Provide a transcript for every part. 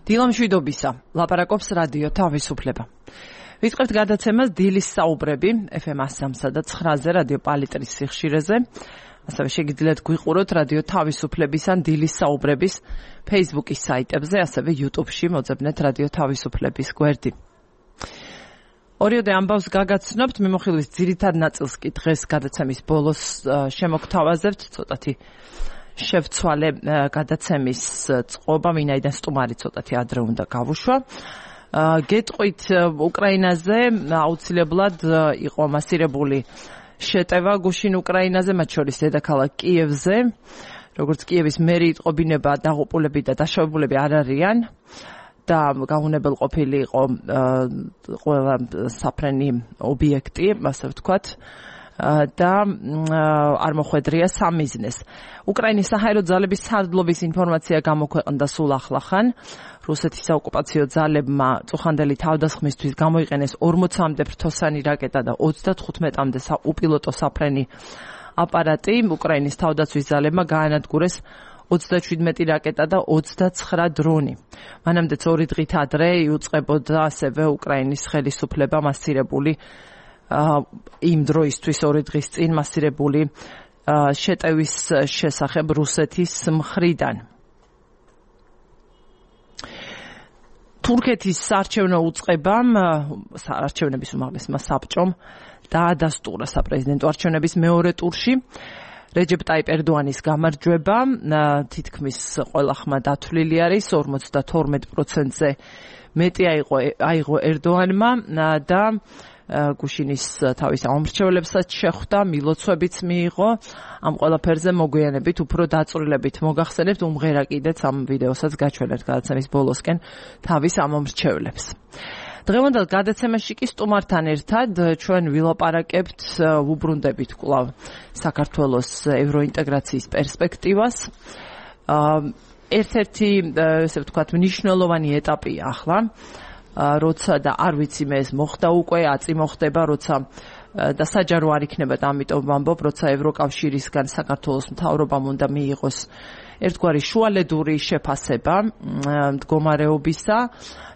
დილამშვიდობისა, ლაპარაკობს რადიო თავისუფლება. ვიწყებთ გადაცემას დილის საუბრები FM 103 და 9-ზე რადიო პალიტრის სიხშირეზე. ასევე შეგიძლიათ გვიყუროთ რადიო თავისუფლების ან დილის საუბრების Facebook-ის საიტებზე, ასევე YouTube-ში მოძებნეთ რადიო თავისუფლების გვერდი. ორიოდე ამბავს გაგაცნობთ, მიმოხილვის ძირითად ნაწილს კი დღეს გადაცემის ბოლოს შემოგთავაზებთ, ცოტათი შევცვალე გადაცემის წყობა, ვინაიდან სტუმარი ცოტათი ადრე უნდა გავუშვა. გეტყვით უკრაინაზე აუცილებლად იყო მასირებული შეტევა გუშინ უკრაინაზე, მათ შორის დედაქალაქ კიევზე. როგორც კიევის მერი იტყობინება, დაღუპულები და დაშავებულები არ არიან და გაუნებელყოფილი იყო ყველა საფრენი ობიექტი, ასე ვთქვათ. და არ მოხვედრია სამიზნეს. უკრაინის საჰაერო ძალების სარდლობის ინფორმაცია გამოქვეყნდა სულ ახლახან. რუსეთის საოკუპაციო ძალებმა წუხანდელი თავდასხმისთვის გამოიყენეს 40-მდე ფრთოსანი რაკეტა და 35-მდე უპილოტო საფრენი აპარატი. უკრაინის თავდაცვის ძალებმა გაანადგურეს 37 რაკეტა და 29 დრონი. მანამდეც 2 დღით ადრე იუწყებოდა ასევე უკრაინის ხელისუფლება მასირებული იმ დროისთვის 2 დღის წინ მასირებული შეტევის შესახებ რუსეთის მხრიდან. თურქეთის საარჩევნო უწყებამ, არჩევნების უმაღლესმა საბჭომ დაადასტურა საპრეზიდენტო არჩევნების მეორე ტურში რეჯეპ ტაიპ ერდოანის გამარჯვება. თითქმის ყველა ხმა დათვლილი არის, 52%-ზე მეტი აიღო ერდოანმა და გუშინის თავის ამომრჩევლებსაც შეხვდა, მილოცვებიც მიიღო. ამ ყველაფერზე მოგვიანებით უფრო დაწვრილებით მოგახსენებთ, უმღერა კიდეც ამ ვიდეოსაც გაჩვენებთ გადაცემის ბოლოსკენ თავის ამომრჩევლებს. დღევანდელ გადაცემაში კი სტუმართან ერთად ჩვენ ვილაპარაკებთ, ვუბრუნდებით კვლავ საქართველოს ევროინტეგრაციის პერსპექტივას. ერთ-ერთი, ესე ვთქვათ, მნიშვნელოვანი ეტაპია ახლა. როცა და არ ვიცი მე ეს მოხდა უკვე, აწი მოხდება, როცა და საჯარო არ იქნება და ამიტომ ვამბობ, როცა ევროკავშირისგან საქართველოს მთავრობამ უნდა მიიღოს ერთგვარი შუალედური შეფასება მდგომარეობისა.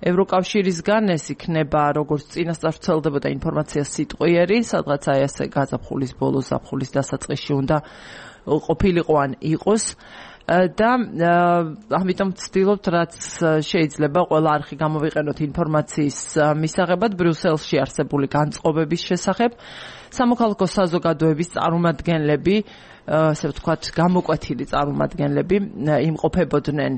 ევროკავშირისგან ეს იქნება, როგორც წინასწარ ვრცელდებოდა ინფორმაცია სიტყვიერი, სადღაც აი ასე გაზაფხულის ბოლოს, ზაფხულის დასაწყისში უნდა ყოფილიყო ან იყოს. და ამიტომ ვცდილობთ, რაც შეიძლება ყველა არხი გამოვიყენოთ ინფორმაციის მისაღებად ბრიუსელში არსებული განწყობების შესახებ. სამოქალაქო საზოგადოების წარმომადგენლები, ასე ვთქვათ, გამოკვეთილი წარმომადგენლები იმყოფებოდნენ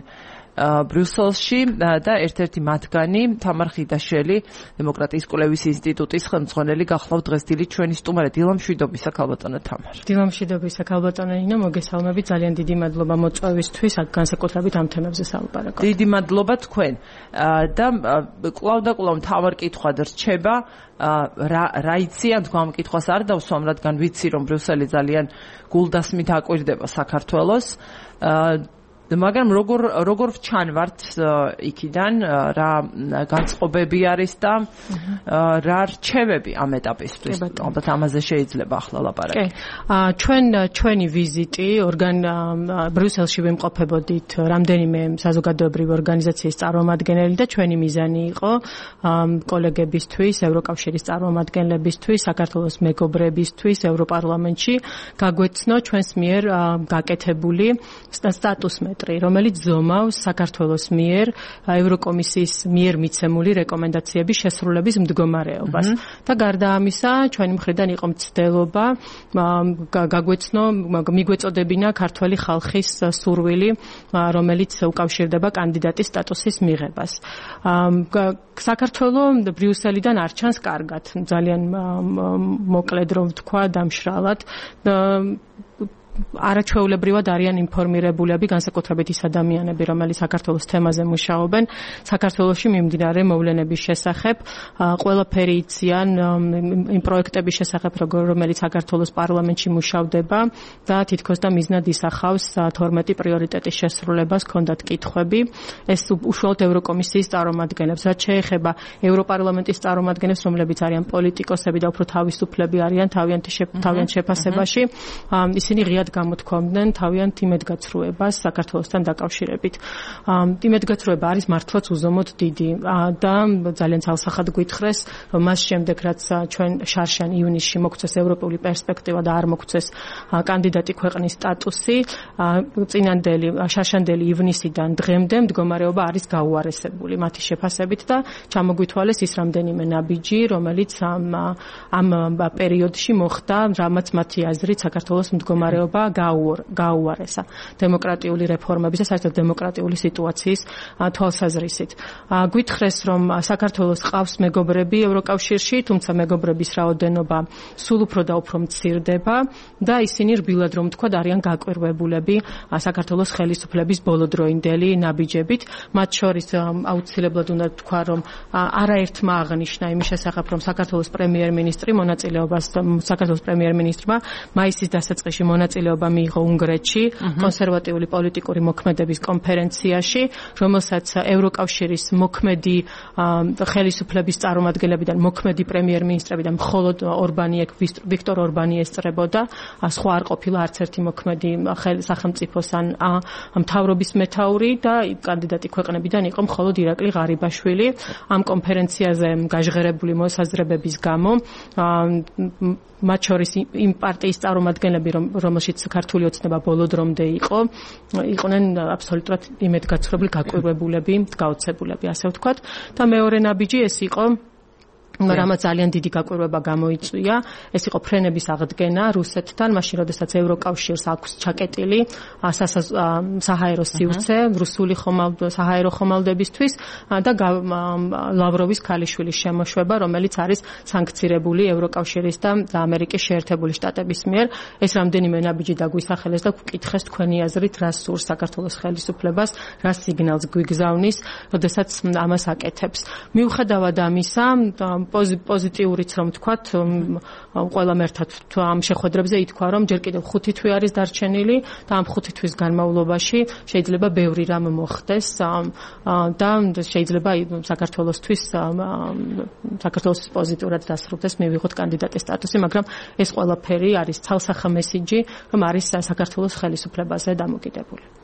ბრიუსელში და ერთ-ერთი მათგანი თამარ ხიდაშვილი, დემოკრატიის კვლევის ინსტიტუტის ხელმძღვანელი გახლავთ დღეს დილით ჩვენი სტუმარი. დილამშვიდობისა, ქალბატონო თამარ. დილამშვიდობისა, ქალბატონო ნინო, მოგესალმებით. ძალიან დიდი მადლობა მოწვევისთვის, განსაკუთრებით ამ თემებზე სალაპარაკოთ. დიდი მადლობა თქვენ. და კვლავ და კვლავ მთავარ კითხვად რჩება, რა იციან თქვენ ამ კითხვას არ დავსვამ, რადგან ვიცი, რომ ბრიუსელი ძალიან გულდასმით აკვირდება საქართველოს. მაგრამ როგორ ვჩანვართ იქიდან, რა განწყობები არის და რა რჩევები ამ ეტაპისთვის? ალბათ ამაზე შეიძლება ახლა ლაპარაკი. ჩვენი ვიზიტი ბრიუსელში ვიმყოფებოდით რამდენიმე საზოგადოებრივი ორგანიზაციის წარმომადგენელი და ჩვენი მიზანი იყო კოლეგებისთვის, ევროკავშირის წარმომადგენლებისთვის, საქართველოს მეგობრებისთვის ევროპარლამენტში გაგვეცნო ჩვენს მიერ გაკეთებული სტატუსმეტრი, რომელიც ზომავს საქართველოს მიერ ევროკომისიის მიერ მიცემული რეკომენდაციების შესრულების მდგომარეობას. და გარდა ამისა, ჩვენი მხრიდან იყო მცდელობა გაგვეცნო, მიგვეწოდებინა ქართველი ხალხის სურვილი, რომელიც უკავშირდება კანდიდატის სტატუსის მიღებას. საქართველო ბრიუსელიდან არ ჩანს კარგად, ძალიან მოკლედ რომ ვთქვა, დამშრალად. არაჩვეულებრივად არიან ინფორმირებულები, განსაკუთრებით ის ადამიანები, რომელიც საქართველოს თემაზე მუშაობენ, საქართველოში მიმდინარე მოვლენების შესახებ, ყველაფერი იციან იმ პროექტების შესახებ, რომელიც საქართველოს პარლამენტში მუშავდება და თითქოს და მიზნად ისახავს 12 პრიორიტეტის შესრულებას, ჰქონდათ კითხვები. ეს უშუალოდ ევროკომისიის წარმომადგენლებს, რაც შეეხება ევროპარლამენტის წარმომადგენლებს, რომლებიც არიან პოლიტიკოსები და უფრო თავისუფლები არიან თავიანთ შეფასებაში, ისინი ღია ღიად გამოთქვამდნენ თავიანთ იმედგაცრუებას საქართველოსთან დაკავშირებით. იმედგაცრუება არის მართლაც უზომოდ დიდი და ძალიან ძალსახად გვითხრეს, რომ მას შემდეგ რაც ჩვენ შარშან ივნისში მოგვცეს ევროპული პერსპექტივა და არ მოგვცეს კანდიდატი ქვეყნის სტატუსი, წინანდელი შარშანდელი ივნისიდან დღემდე მდგომარეობა არის გაუარესებული მათი შეფასებით და ჩამოგვითვალეს ის რამდენიმე ნაბიჯი, რომელიც ამ პერიოდში მოხდა, რამაც მათი აზრით საქართველოს მდგომარეობა გაუარესა დემოკრატიული რეფორმების და საერთოდ დემოკრატიული სიტუაციის თვალსაზრისით. გვითხრეს, რომ საქართველოს ყავს მეგობრები ევროკავშირში, თუმცა მეგობრების რაოდენობა სულ უფრო და უფრო მცირდება და ისინი რბილად რომ თქვა არიან გაკვირვებულები საქართველოს ხელისუფლების ბოლოდროინდელი ნაბიჯებით. მათ შორის აუცილებლად უნდა თქვა, რომ არაერთმა აღნიშნა იმის შესახებ, რომ საქართველოს პრემიერ-მინისტრმა მაისის დასაწყისში მონაწილეობა მიიღო უნგრეთში კონსერვატიული პოლიტიკური მოქმედების კონფერენციაში, რომელსაც ევროკავშირის მოქმედი ხელისუფლების წარმომადგენლებიდან მოქმედი პრემიერ-მინისტრები და მხოლოდ ვიქტორ ორბანი ესწრებოდა, სხვა არ ყოფილა არც ერთი მოქმედი სახელმწიფოს ან მთავრობის მეთაური და კანდიდატი ქვეყნებიდან იყო მხოლოდ ირაკლი ღარიბაშვილი. ამ კონფერენციაზე გაჟღერებული მოსაზრებების გამო მათ შორის იმ პარტიის წარმომადგენლები, რომელშიც ქართული ოცნება ბოლოდრომდე იყვნენ აბსოლუტურად იმედგაცრუებული, გაკვირვებულები, გაოცებულები, ასე ვთქვათ. და მეორე ნაბიჯი ეს იყო, რამაც ძალიან დიდი გაკვირვება გამოიწვია, ეს იყო ფრენების აღდგენა რუსეთთან, მაშინ როდესაც ევროკავშირს აქვს ჩაკეტილი საჰაერო სივრცე რუსული საჰაერო ხომალდებისთვის და ლავროვის ქალიშვილის შემოშვება, რომელიც არის სანქცირებული ევროკავშირის და ამერიკის შეერთებული შტატების მიერ. ეს რამდენიმე ნაბიჯი დაგვისახელეს და გკითხეს თქვენი აზრით, რა სურს საქართველოს ხელისუფლებას, რა სიგნალს გვიგზავნის, როდესაც ამას აკეთებს. მიუხედავად ამისა, პოზიტიურიც რომ ვთქვათ, ყველამ ერთად ამ შეხვედრებზე ითქვა, რომ ჯერ კიდევ 5 თვე არის დარჩენილი და ამ 5 თვის განმავლობაში შეიძლება ბევრი რამ მოხდეს და შეიძლება საქართველოს პოზიტიურად დასრულდეს, მივიღოთ კანდიდატის სტატუსი, მაგრამ ეს ყველაფერი არის ცალსახა მესიჯი, რომ არის საქართველოს ხელისუფლებაზე დამოკიდებული.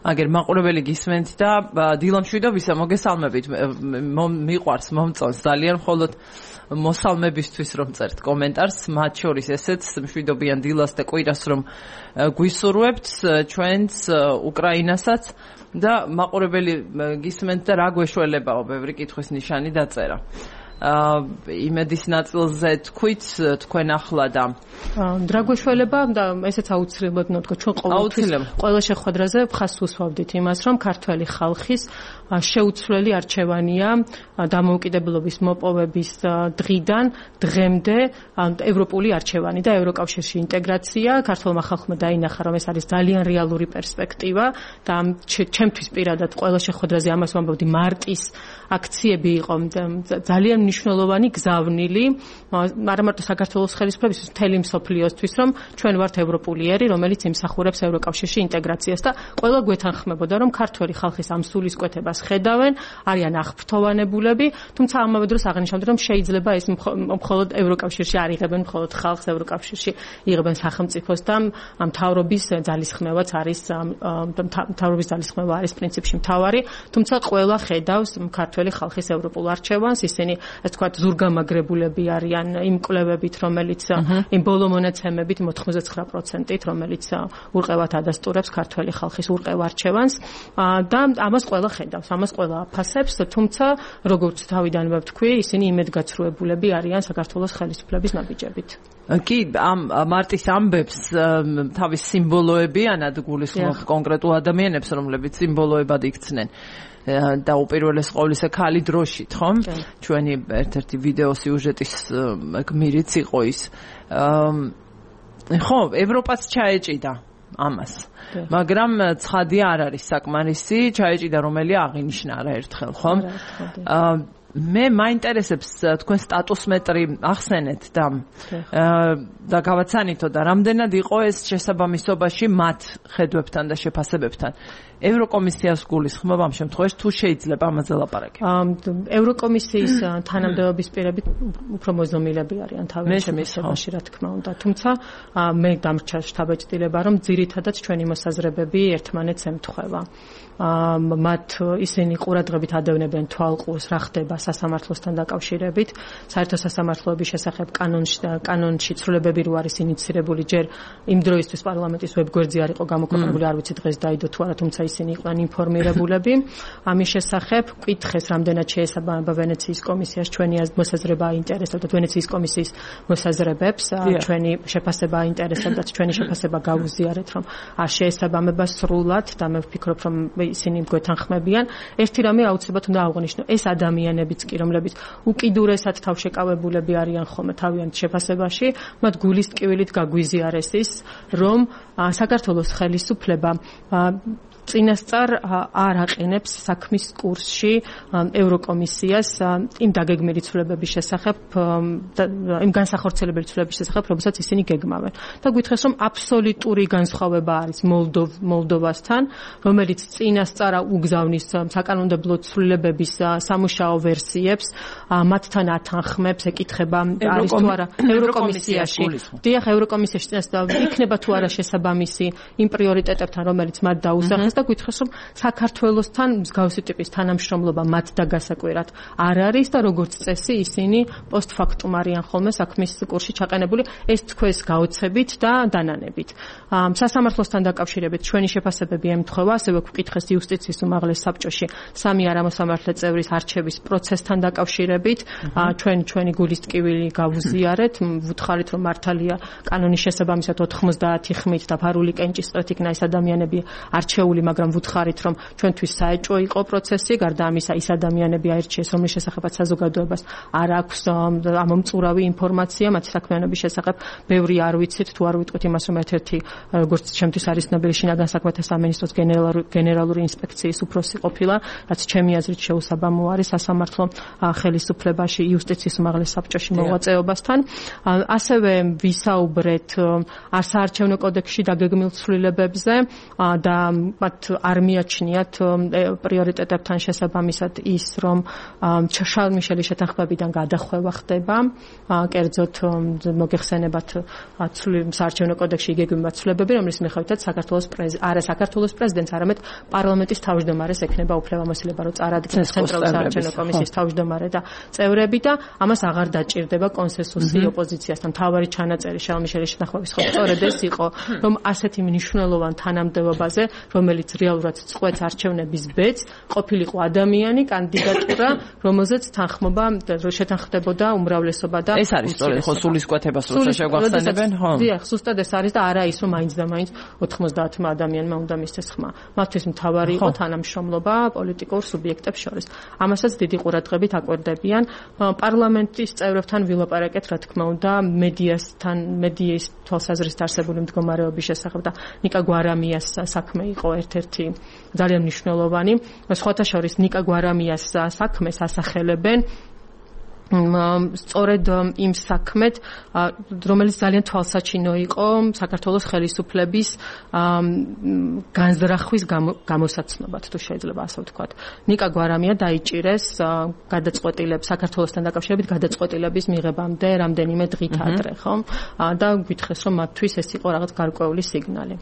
აგერ მაყურებელი გისმენთ და დილამშვიდობისა, მოგესალმებით. მიყვარს, მომწონს ძალიან მხოლოდ მოსალმებისთვის რომ წერთ კომენტარს, მათ შორის ესეც მშვიდობიან დილას და კვირას რომ გვისურვებთ ჩვენც უკრაინასაც და მაყურებელი გისმენთ და რა გვეშველებაო, ბევრი კითხვის ნიშანი დაწერა. იმედის ნაწილზე თქვით თქვენ ახლა და რა გვეშველება და ესეც აუცილებლად ნოტკო ჩვენ ყველა შეხვედრაზე ხას უსვავდით იმას, რომ ქართველი ხალხის შეუცვლელი არჩევანია დამოუკიდებლობის მოპოვების დღიდან დღემდე ევროპული არჩევანი და ევროკავშირში ინტეგრაცია. ქართულმა ხალხმა დაინახა, რომ ეს არის ძალიან რეალური პერსპექტივა და ჩემთვის პირადად ყველა შეხვედრაზე ამას ვამბობდი, მარტის აქციები იყო ძალიან მნიშვნელოვანი გზავნილი, არა მარტო საქართველოს ხელისუფლებისთვის, მთელი მსოფლიოსთვის, რომ ჩვენ ვართ ევროპულიერი, რომელიც იმსახურებს ევროკავშირში ინტეგრაციას და ყველა გვეთანხმებოდა, რომ ქართველი ხალხის ამ სულისკვეთებას ხედავენ, არიან აღფრთოვანებულები, თუმცა ამავე დროს აღნიშნავდა, რომ შეიძლება ეს მხოლოდ ევროკავშირში არ იღებენ მხოლოდ ხალხს, ევროკავშირში იღებენ სახელმწიფოს და მთავრობის ძალისხმევაც არის მთავრობის ძალისხმევა არის პრინციპში მთავარი, თუმცა ყველა ხედავს ქართველი ხალხის ევროპულ არჩევანს, ისინი ეს თქვა ზურგამაგრებულები არიან იმ კვლევებით, რომელიც იმ ბოლო მონაცემებით 99%-ით, რომელიც ურყევად ადასტურებს ქართველი ხალხის ურყევ არჩევანს და ამას ყველა ხედავს, ამას ყველა აფასებს, თუმცა როგორც თავიდანვე ვთქვი, ისინი იმედგაცრუებულები არიან საქართველოს ხელისუფლების ნაბიჯებით. კი, ამ მარტის ამბებს თავის სიმბოლოებიანად გულისხმობ კონკრეტულ ადამიანებს, რომლებიც სიმბოლოებად იქცნენ. და უპირველეს ყოვლისა ქალი დროშით, ხომ? ჩვენი ერთ-ერთი ვიდეო სიუჟეტის გმირიც იყო ის. ხო, ევროპაც ჩაეჭიდა ამას. მაგრამ ცხადია არ არის საკმარისი, ჩაეჭიდა რომელი აღინიშნა არაერთხელ, ხომ? მე მაინტერესებს თქვენ სტატუსმეტრი ახსენეთ და გავაცანითო და რამდენად იყო ეს შესაბამისობაში მათ ხედვებთან და შეფასებებთან. ევროკომისიას გულისხმობ ამ შემთხვევაში თუ შეიძლება ამაზე ლაპარაკი. ევროკომისიის თანამდებობის პირები უფრო მოძნილები არიან თავის შემთხვევაში, რა თქმა უნდა. თუმცა მე დამრჩა შთაბეჭდილება, რომ ძირითადად ჩვენი მოსაზრებები ერთმანეთს ემთხვევა. მათ ისინი ყურადღებით ადევნებენ თვალყურს, რა ხდება სასამართლოსთან დაკავშირებით. საერთო სასამართლოების შესახებ კანონში ცვლილებები რო არის ინიცირებული, ჯერ იმ დროისთვის პარლამენტის ვებგვერდზე არ იყო გამოქვეყნებული, არ ვიცი დღეს დაიდო თუ არა, თუმცა ისინი იყვნენ ინფორმირებულები. ამის შესახებ კითხეს, რამდენად შეესაბამება ვენეციის კომისიას ჩვენი მოსაზრება აინტერესებდა, ვენეციის კომისიის მოსაზრებებს, ჩვენი შეფასება აინტერესებდა, ჩვენი შეფასება გავუზიარეთ, რომ არ შეესაბამება სრულად და მე ვფიქრობ, რომ ისინი გვეთანხმებიან. ერთი რამე აუცილებლად უნდა აღვნიშნო, ეს ადამიანებიც კი, რომლებიც უკიდურესად თავშეკავებულები არიან ხოლმე თავიანთ შეფასებაში, მათ გულის ტკივილით გაგვიზიარეს ის, რომ საქართველოს ხელისუფლება წინასწარ არ აყენებს საქმის კურსში ევროკომისიას იმ დაგეგმილი ცვლილებების შესახებ, იმ განსახორციელებელი ცვლილებების შესახებ, რომელსაც ისინი გეგმავენ. და გითხრეს, რომ აბსოლუტური განსხვავება არის მოლდოვასთან, რომელიც წინასწარ უგზავნის საკანონმდებლო ცვლილებების სამუშაო ვერსიებს, მათთან ათანხმებს, ეკითხება არის თუ არა ევროკომისიაში. დიახ, ევროკომისიაში წინასწარ იქნება თუ არა შესაბამისი იმ პრიორიტეტებთან, რომელიც მათ დაუსახეს და გითხრეს, რომ საქართველოსთან მსგავსი ტიპის თანამშრომლობა მათ დაგასაკვირად არ არის და როგორც წესი ისინი პოსტფაქტუმ არიან ხოლმე საქმის კურსში ჩაყენებული, ეს თქვენს გაოცებით და დანანებით. სასამართლოსთან დაკავშირებით ჩვენი შეფასებები ემთხვევა, ასევე გვკითხეს იუსტიციის უმაღლეს საბჭოში სამი არამოსამართლე წევრის არჩევის პროცესთან დაკავშირებით, ჩვენი გულის ტკივილი გავუზიარეთ, ვუთხარით, რომ მართალია კანონის შესაბამისად 90 ხმით დაფარული კენჭისყრით იქნა ეს ადამიანები არჩეული, მაგრამ ვუთხარით, რომ ჩვენთვის საეჭვო იყო პროცესი, გარდა ამისა ის ადამიანები აირჩიეს, რომლის შესახებაც საზოგადოებას არ აქვს ამომწურავი ინფორმაცია მათი საქმიანობის შესახებ. ბევრი არ ვიცით, თუ არ ვიტყვით იმას, რომ ერთ-ერთი როგორც ჩემთვის არის ცნობილი შინაგან საქმეთა სამინისტროს გენერალური ინსპექციის უფროსი ყოფილა, რაც ჩემი აზრით შეუსაბამო არის სასამართლო ხელისუფლებაში იუსტიციის უმაღლეს საბჭოში მოღვაწეობასთან. ასევე ვისაუბრეთ საარჩევნო კოდექსში დაგეგმილ ცვლილებებზე და მათ არ მიაჩნიათ პრიორიტეტებთან შესაბამისად ის, რომ შარლ მიშელის შეთანხმებიდან გადახვევა ხდება, კერძოდ მოგეხსენებათ საარჩევნო კოდექსში იგეგმება ცვლილებები, რომლის მიხედვითაც საქართველოს პრეზიდენტს, არამედ პარლამენტის თავმჯდომარეს ექნება უფლებამოსილება, რომ წარადგინოს ცენტრალური საარჩევნო კომისიის თავმჯდომარე და წევრები და ამას აღარ დაჭირდება კონსენსუსი ოპოზიციასთან. მთავარი ჩანაწერი შარლ მიშელის შეთანხმების ხო სწორედ ეს იყო, რომ ასეთი მნიშვნელოვან თანამდებობაზე, რომელიც რეალურად წყვეტს არჩევნების ბედს, ყოფილიყო ადამიანი, კანდიდატურა, რომელზეც შეთანხმდებოდა უმრავლესობა და ეს არის სწორედ ხო სულისკვეთებას როცა შეგვახსენებენ, ხო? დიახ, ზუსტად ეს არის და არა ის, რომ მაინც და მაინც 90 ადამიანმა უნდა მისცეს ხმა. მათთვის მთავარი იყო თანამშრომლობა პოლიტიკურ სუბიექტებს შორის. ამასაც დიდი ყურადღებით აკვირდებიან. პარლამენტის წევრებთან ვილაპარაკეთ, რა თქმა უნდა, მედიის თვალსაზრისით არსებული მდგომარეობის შესახებ და ნიკა გვარამიას საქმე იყო ერთ-ერთი ძალიან მნიშვნელოვანი. სხვათა შორის ნიკა გვარამიას საქმეს ასახელებენ სწორედ იმ საქმეთ, რომელიც ძალიან თვალსაჩინო იყო საქართველოს ხელისუფლების განზრახვის გამოსაცნობად, თუ შეიძლება ასე ვთქვათ. ნიკა გვარამია დაიჭირეს საქართველოსთან დაკავშირებით გადაწყვეტილების მიღებამდე რამდენიმე დღით ადრე, ხო? და გითხრეს, რომ მათთვის ეს იყო რაღაც გარკვეული სიგნალი.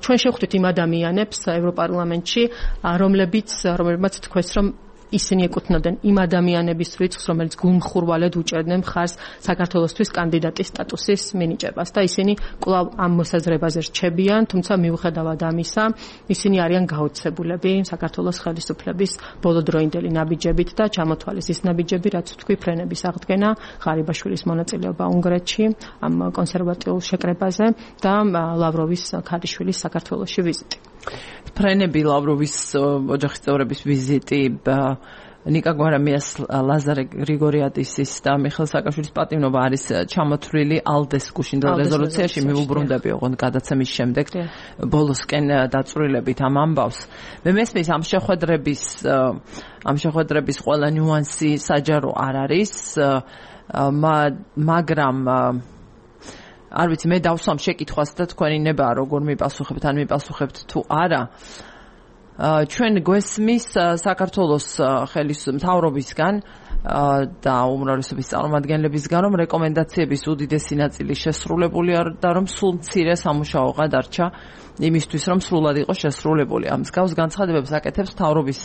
ჩვენ შევხვდით იმ ადამიანებს ევროპარლამენტში, რომლებმაც თქვეს, რომ ისინი ეკუთვნოდნენ იმ ადამიანების რიცხვს, რომელიც გულმხურვალედ უჭერდნენ მხარს საქართველოსთვის კანდიდატის სტატუსის მინიჭებას და ისინი კვლავ ამ მოსაზრებაზე რჩებიან, თუმცა მიუხედავად ამისა, ისინი არიან გაოცებულები საქართველოს ხელისუფლების ბოლოდროინდელი ნაბიჯებით და ჩამოთვალეს ის ნაბიჯები, რაც თქვი ფრენების აღდგენა, ღარიბაშვილის მონაწილეობა უნგრეთში ამ კონსერვატიულ შეკრებაზე და ლავროვის ქალიშვილის საქართველოში ვიზიტი. ფრენები, ლავროვის ოჯახის წევრების ვიზიტი ნიკა გვარამიას, ლაზარე გრიგორიადისის და მიხეილ სააკაშვილის პატივნობა არის ჩამოთვლილი ალდეს გუშინდელ რეზოლუციაში. მიუბრუნდები ოღონდ გადაცემის შემდეგ ბოლოსკენ დაწვრილებით ამ ამბავს. მე მესმის ამ შეხვედრების ყველა ნიუანსი საჯარო არ არის, მაგრამ არ ვიცი, მე დავსვამ შეკითხვას და თქვენი ნება როგორ მიპასუხებთ, ან მიპასუხებთ თუ არა. ჩვენ გვესმის საქართველოს მთავრობისგან და უმრავლესობის წარმომადგენლებისგან, რომ რეკომენდაციების უდიდესი ნაწილი შესრულებული და რომ სულ მცირე სამუშაოა დარჩა იმისთვის, რომ სრულად იყოს შესრულებული. ამ მსგავს განცხადებებს აკეთებს მთავრობის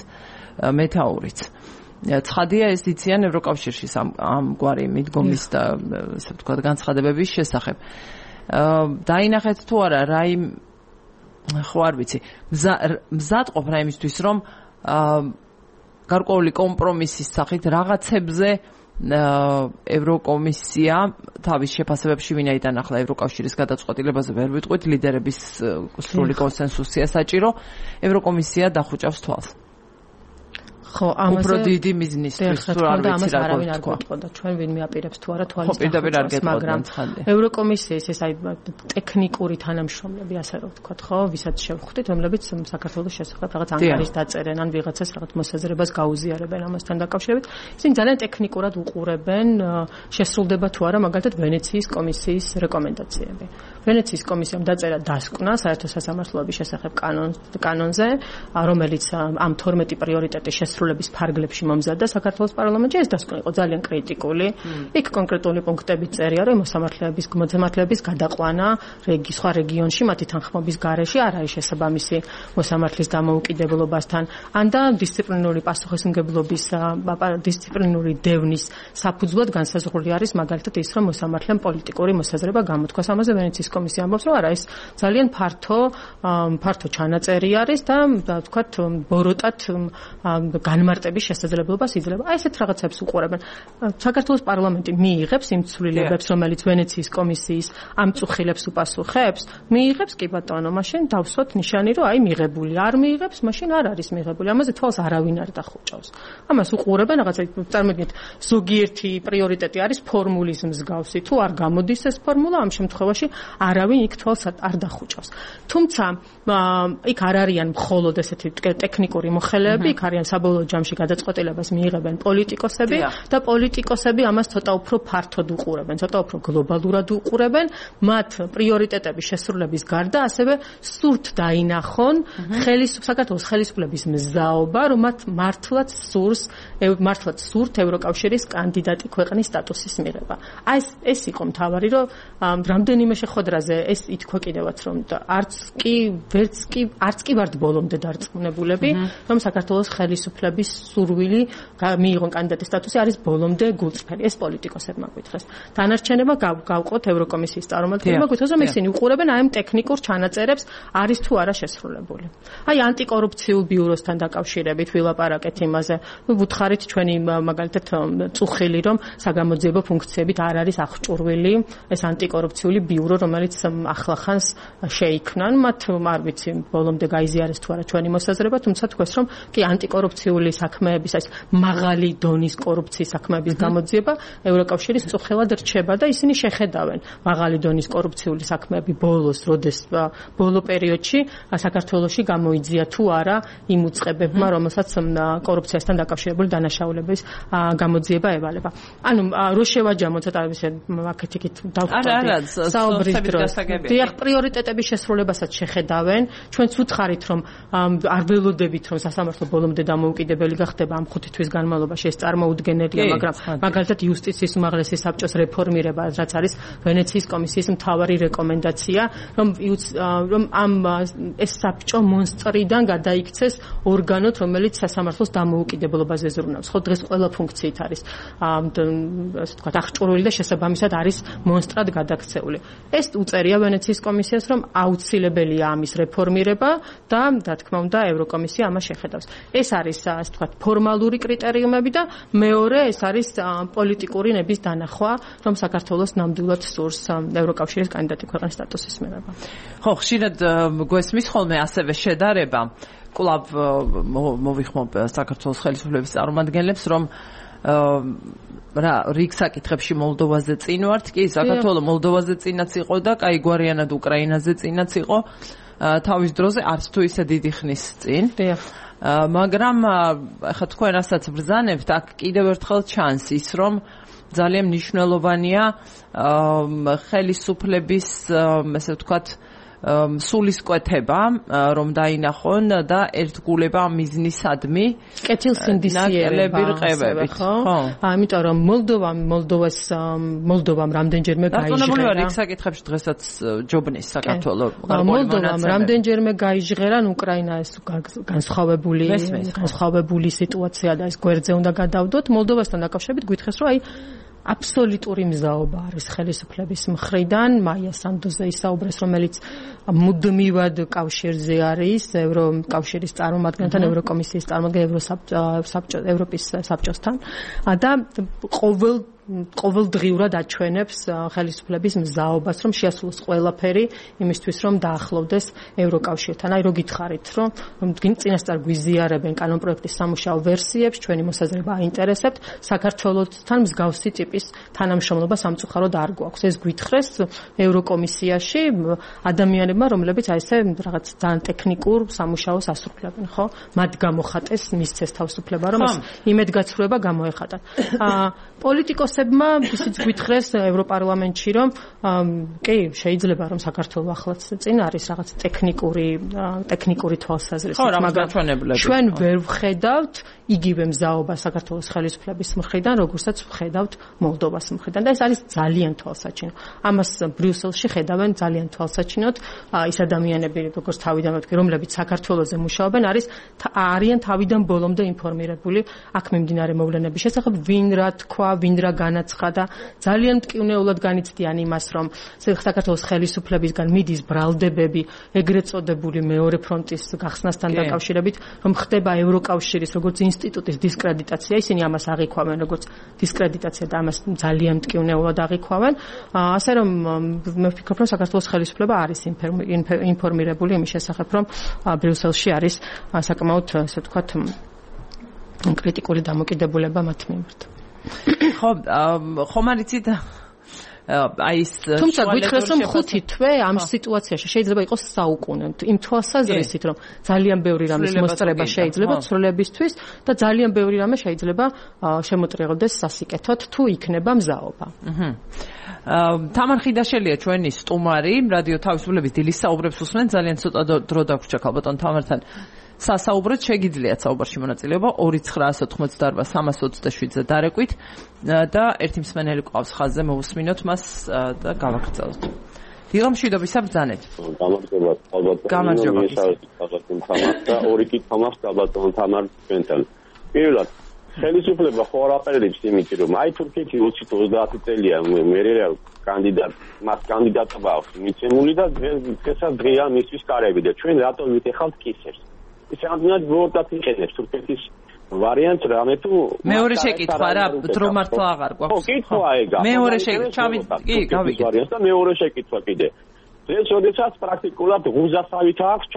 მეთაურიც. ცხადია, ეს იციან ევროკავშირში ამგვარი მიდგომის და ასე ვთქვათ განცხადებების შესახებ. დაინახეთ თუ არა რაიმე ხო არ ვიცი, მზადყოფ რაიმისთვის, რომ გარკვეული კომპრომისის სახით რაღაცებზე ევროკომისია თავის შეფასებებში, ვინაიდან ახლა ევროკავშირის გადაწყვეტილებაზე ვერ ვიტყვით, ლიდერების სრული კონსენსუსია საჭირო, ევროკომისია დახუჭავს თვალს. ხო, ამაზე უფრო დიდი მიზნისთვის თუ არ ვიცი რა გქონდა. ჩვენ ვინ მიაპირებს თუ არა თვალის, მაგრამ ევროკომისიის ეს აი ტექნიკური თანამშრომლები, ასე რომ ვთქვათ, ხო, ვისაც შევხვდით, რომლებიც საქართველოს შესახებ რაღაც ანგარიშს დაწერენ, ან ვიღაცას რაღაც მოსაზრებას გაუზიარებენ ამასთან დაკავშირებით. ისინი ძალიან ტექნიკურად უყურებენ შესრულდება თუ არა მაგალითად ვენეციის კომისიის რეკომენდაციები. ვენეციის კომისიამ დაწერა დასკვნა საერთო სასამართლოების შესახებ კანონზე, რომელიც ამ 12 პრიორიტეტის შესრულების ფარგლებში მომზადდა საქართველოს პარლამენტში. ეს დასკვნა იყო ძალიან კრიტიკული. იქ კონკრეტული პუნქტები წერია, რომ მოსამართლეების გადაყვანა სხვა რეგიონში მათი თანხმობის გარეშე არ არის შესაბამისი მოსამართლის დამოუკიდებლობასთან, ან და დისციპლინური პასუხისმგებლობის დისციპლინური დევნის საფუძვლად განსაზღვრული არის მაგალითად ის, რომ მოსამართლემ პოლიტიკური მოსაზრება გამოთქვას. ამაზე ვენეციის კომისია ამბობს, რომ არა, ეს ძალიან ფართო ჩანაწერი არის და ვთქვათ ბოროტად განმარტების შესაძლებლობას იძლევა. აი ესეთ რაღაცებს უყურებენ. საქართველოს პარლამენტი მიიღებს იმ ცვლილებებს, რომელიც ვენეციის კომისიის ამ წუხილებს უპასუხებს, მიიღებს კი ბატონო, მაშინ დავსვათ ნიშანი, რომ აი მიღებული. არ მიიღებს, მაშინ არ არის მიღებული. ამაზე თვალს არავინ არ დახუჭავს. ამას უყურებენ, რაღაცა წარმოგიდგენთ, ზოგიერთი პრიორიტეტი არის ფორმულის მსგავსი. თუ არ გამოდის ეს ფორმულა, ამ შემთხვევაში არავინ იქ თვალს არ დახუჭავს. თუმცა იქ არ არიან მხოლოდ ესეთი ტექნიკური მოხელეები, იქ არიან საბოლოო ჯამში გადაწყვეტილებას მიიღებენ პოლიტიკოსები და პოლიტიკოსები ამას ცოტა უფრო ფართოდ უყურებენ, ცოტა უფრო გლობალურად უყურებენ. მათ პრიორიტეტების შესრულების გარდა ასევე სურთ დაინახონ საქართველოს ხელისუფლების მზაობა, რომ მათ მართლაც სურთ ევროკავშირის კანდიდატი ქვეყნის სტატუსის მიღება. აი ეს იყო მთავარი, რომ რამდენიმე შეხვედრაზე ეს ითქვა კიდევაც, რომ არც კი ვართ ბოლომდე დარწმუნებულები, რომ საქართველოს ხელისუფლების სურვილი მიიღონ კანდიდატის სტატუსი არის ბოლომდე გულწრფელი. ეს პოლიტიკოსებმა გვითხრეს. დანარჩენება გავყოთ ევროკომისიის წარმომადგენლებმა გვითხრეს, რომ ისინი უყურებენ აი ამ ტექნიკურ ჩანაწერებს, არის თუ არა შესრულებული. აი ანტიკორუფციულ ბიუროსთან დაკავშირებით ვილაპარაკეთ იმაზე. ვუთხარით ჩვენი მაგალითად წუხილი, რომ საგამოძიებო ფუნქციებით არ არის აღჭურვილი ეს ანტიკორუფციული ბიურო, რომელიც ახლახანს შეიქმნან. მათ არ ვიცი ბოლომდე გაიზიარეს თუ არა ჩვენი მოსაზრება, თუმცა თქვეს, რომ კი ანტიკორუფციული საქმეების, ეს მაღალი დონის კორუფციის საქმეების გამოძიება ევროკავშირის წუხელად რჩება და ისინი შეხედავენ მაღალი დონის კორუფციული საქმეები ბოლო პერიოდში საქართველოში გამოიძია თუ არა იმ უწყებებმა, რომელსაც კორუფციასთან დაკავშირებული დანაშაულების გამოძიება ევალება. ანუ რო შევაჯამოთ ცოტა ისე მაკეტიკით დავხვდეთ საუბრის დროს. დიახ, პრიორიტეტების შესრულებასაც შეხედავენ. ჩვენც უთხარით, რომ არ ველოდებით, რომ სასამართლო ბოლომდე დამოუკიდებელი გახდება ამ 5 თვის განმავლობაში, ეს წარმოუდგენელია, მაგრამ მაგალითად იუსტიციის უმაღლესი საბჭოს რეფორმირება, რაც არის ვენეციის კომისიის მთავარი რეკომენდაცია, რომ ეს საბჭო მონსტრიდან გადაიქცეს ორგანოდ, რომელიც სასამართლოს დამოუკიდებლობაზე ზრუნავს. ხო, დღეს ყველა ფუნქციით არის ასე ვთქვათ აღჭურვილი და შესაბამისად არის მონსტრად გადაქცეული. ეს უწერია ვენეციის კომისიას, რომ აუცილებელია ამის რეფორმირება და რა თქმა უნდა ევროკომისია ამას შეხედავს. ეს არის ასე ვთქვათ ფორმალური კრიტერიუმები და მეორე ეს არის პოლიტიკური ნების დანახვა, რომ საქართველოს ნამდვილად სურს ევროკავშირის კანდიდატი ქვეყნის სტატუსის მიღება. ხო, ხშირად გვესმის ხოლმე ასევე შედარება კლუბ მოვიხმობ საქართველოს ხელისუფლების წარმომადგენლებს, რომ რა რიგ საკითხებში მოლდოვაზე წინ ვართ, კი საქართველოს მოლდოვაზე წინაც იყო და კაიგვარიანად უკრაინაზე წინაც იყო თავის დროზე არც თუ ისე დიდი ხნის წინ. მაგრამ ახლა თქვენ რასაც ბრძანებთ, აქ კიდევ ერთხელ ჩანს ის, რომ ძალიან მნიშვნელოვანია ხელისუფლების ესე ვთქვათ სულისკვეთება, რომ დაინახონ და ერთგულება მიზნისადმი კეთილსინდისიერება რყევებით, ხო? ამიტომ რომ მოლდოვამ რამდენჯერმე გაიჟღერა. რიგ საკითხებში დღესაც ჯობნის საქართველოს მოლდოვამ რამდენჯერმე გაიჟღერა, უკრაინა ეს განსხვავებული სიტუაცია და ეს გვერდზე უნდა გადავდოთ. მოლდოვასთან დაკავშირებით გითხრეს, რომ აბსოლუტური მზაობა არის ხელისუფლების მხრიდან. მაია სანდოზე ისაუბრეს, რომელიც მუდმივად კავშირზე არის ევროკავშირის წარმომადგენელთან, ევროკომისიის წარმომადგენელ, ევროპის საბჭოსთან და ყოველდღიურად აჩვენებს ხელისუფლების მზაობას, რომ შეასრულოს ყველაფერი იმისთვის, რომ დაახლოვდეს ევროკავშირთან. აი, რო გითხარით, რომ წინასწარ გვიზიარებენ კანონპროექტის სამუშაო ვერსიებს, ჩვენი მოსაზრება აინტერესებთ, საქართველოსთან მსგავსი ტიპის თანამშრომლობა სამწუხაროდ არ გვაქვს. ეს გვითხრეს ევროკომისიაში ადამიანებმა, რომლებიც აი ესე რაღაც ძალიან ტექნიკურ სამუშაოს ასრულებენ, ხო? მათ გამოხატეს, მისცეს თავისუფლება, რომ ეს იმედგაცრუება გამოეხატათ. პოლიტიკოსებმა ისიც გვითხრეს ევროპარლამენტში, რომ კი, შეიძლება რომ საქართველოს ახლაც წინ არის რაღაც ტექნიკური თვალსაზრისით, მაგრამ ჩვენ ვერ ვხედავთ იგივე მზაობა საქართველოს ხელისუფლების მხრიდან, როგორცაც ვხედავთ მოლდოვას მხრიდან და ეს არის ძალიან თვალსაჩინო. ამას ბრიუსელში ხედავენ ძალიან თვალსაჩინოდ ის ადამიანები, როგორც თავიდან ვთქვი, რომლებიც საქართველოზე მუშაობენ, არიან თავიდან ბოლომდე ინფორმირებული აქ მიმდინარე მოვლენების შესახებ, ვინ რა თქვა, ვინ რა განაცხადა. ძალიან მტკივნეულად განიცდიან იმას, რომ საქართველოს ხელისუფლებისგან მიდის ბრალდებები ეგრეთ წოდებული მეორე ფრონტის გახსნასთან დაკავშირებით, რომ ხდება ევროკავშირის როგორც ინსტიტუტის დისკრედიტაცია. ისინი ამას აღიქვამენ როგორც დისკრედიტაცია და ამას ძალიან მტკივნეულად აღიქვამენ. ასე რომ მე ვფიქრობ, რომ საქართველოს ხელისუფლება არის ინფორმირებული იმის შესახებ, რომ ბრიუსელში არის საკმაოდ ასე ვთქვათ კრიტიკული დამოკიდებულება მათ მიმართ. ხო, ხომ არიცით აი ეს თუმცა გითხრეს, რომ 5 თვე ამ სიტუაციაში შეიძლება იყოს საუკუნე. იმ თვალსაზრისით, რომ ძალიან ბევრი რამის მოსწრება შეიძლება ცვლილებისთვის და ძალიან ბევრი რამე შეიძლება შემოწირულდეს სასიკეთოდ, თუ იქნება მზაობა. თამარ ხიდაშელია ჩვენი სტუმარი, რადიო თავისუფლების დილის საუბრებს უსმენ, ძალიან ცოტა დრო დაგვრჩა ქალბატონ თამართან. სასაუბროთ შეგიძლიათ საუბარში მონაწილეობა 2988327-ზე დარეკვით და ერთი მსმენელი ყავს ხაზზე, მოვუსმინოთ მას და გავაგრძელოთ. დილამშვიდობისა ბრძანეთ. გამარჯობა. და ორი კითხვა მაქვს ქალბატონ თამარ ჩვენთან. პირველად, ხელისუფლება ხო არ აპელებს იმით, რომ აი თურქეთი 20-30 წელია მერე მას კანდიდატობა აქვს მიცემული და დღესაც დღეა მისთვის კარები და ჩვენ რატომ ვიტეხავთ კისერს? ის რამდენად ვორდათ იყენებს თურქეთის ვარიანტს რამე თუ მეორე შეკითხვა რა დრო მართლა აღარ გვაქვს. ხო, კითხვა ეგა. მეორე შეკითხვა, კი, გავიგეთ. და მეორე შეკითხვა კიდე. ეს შესაძაც პრაქტიკულად ღუზასავით აქვს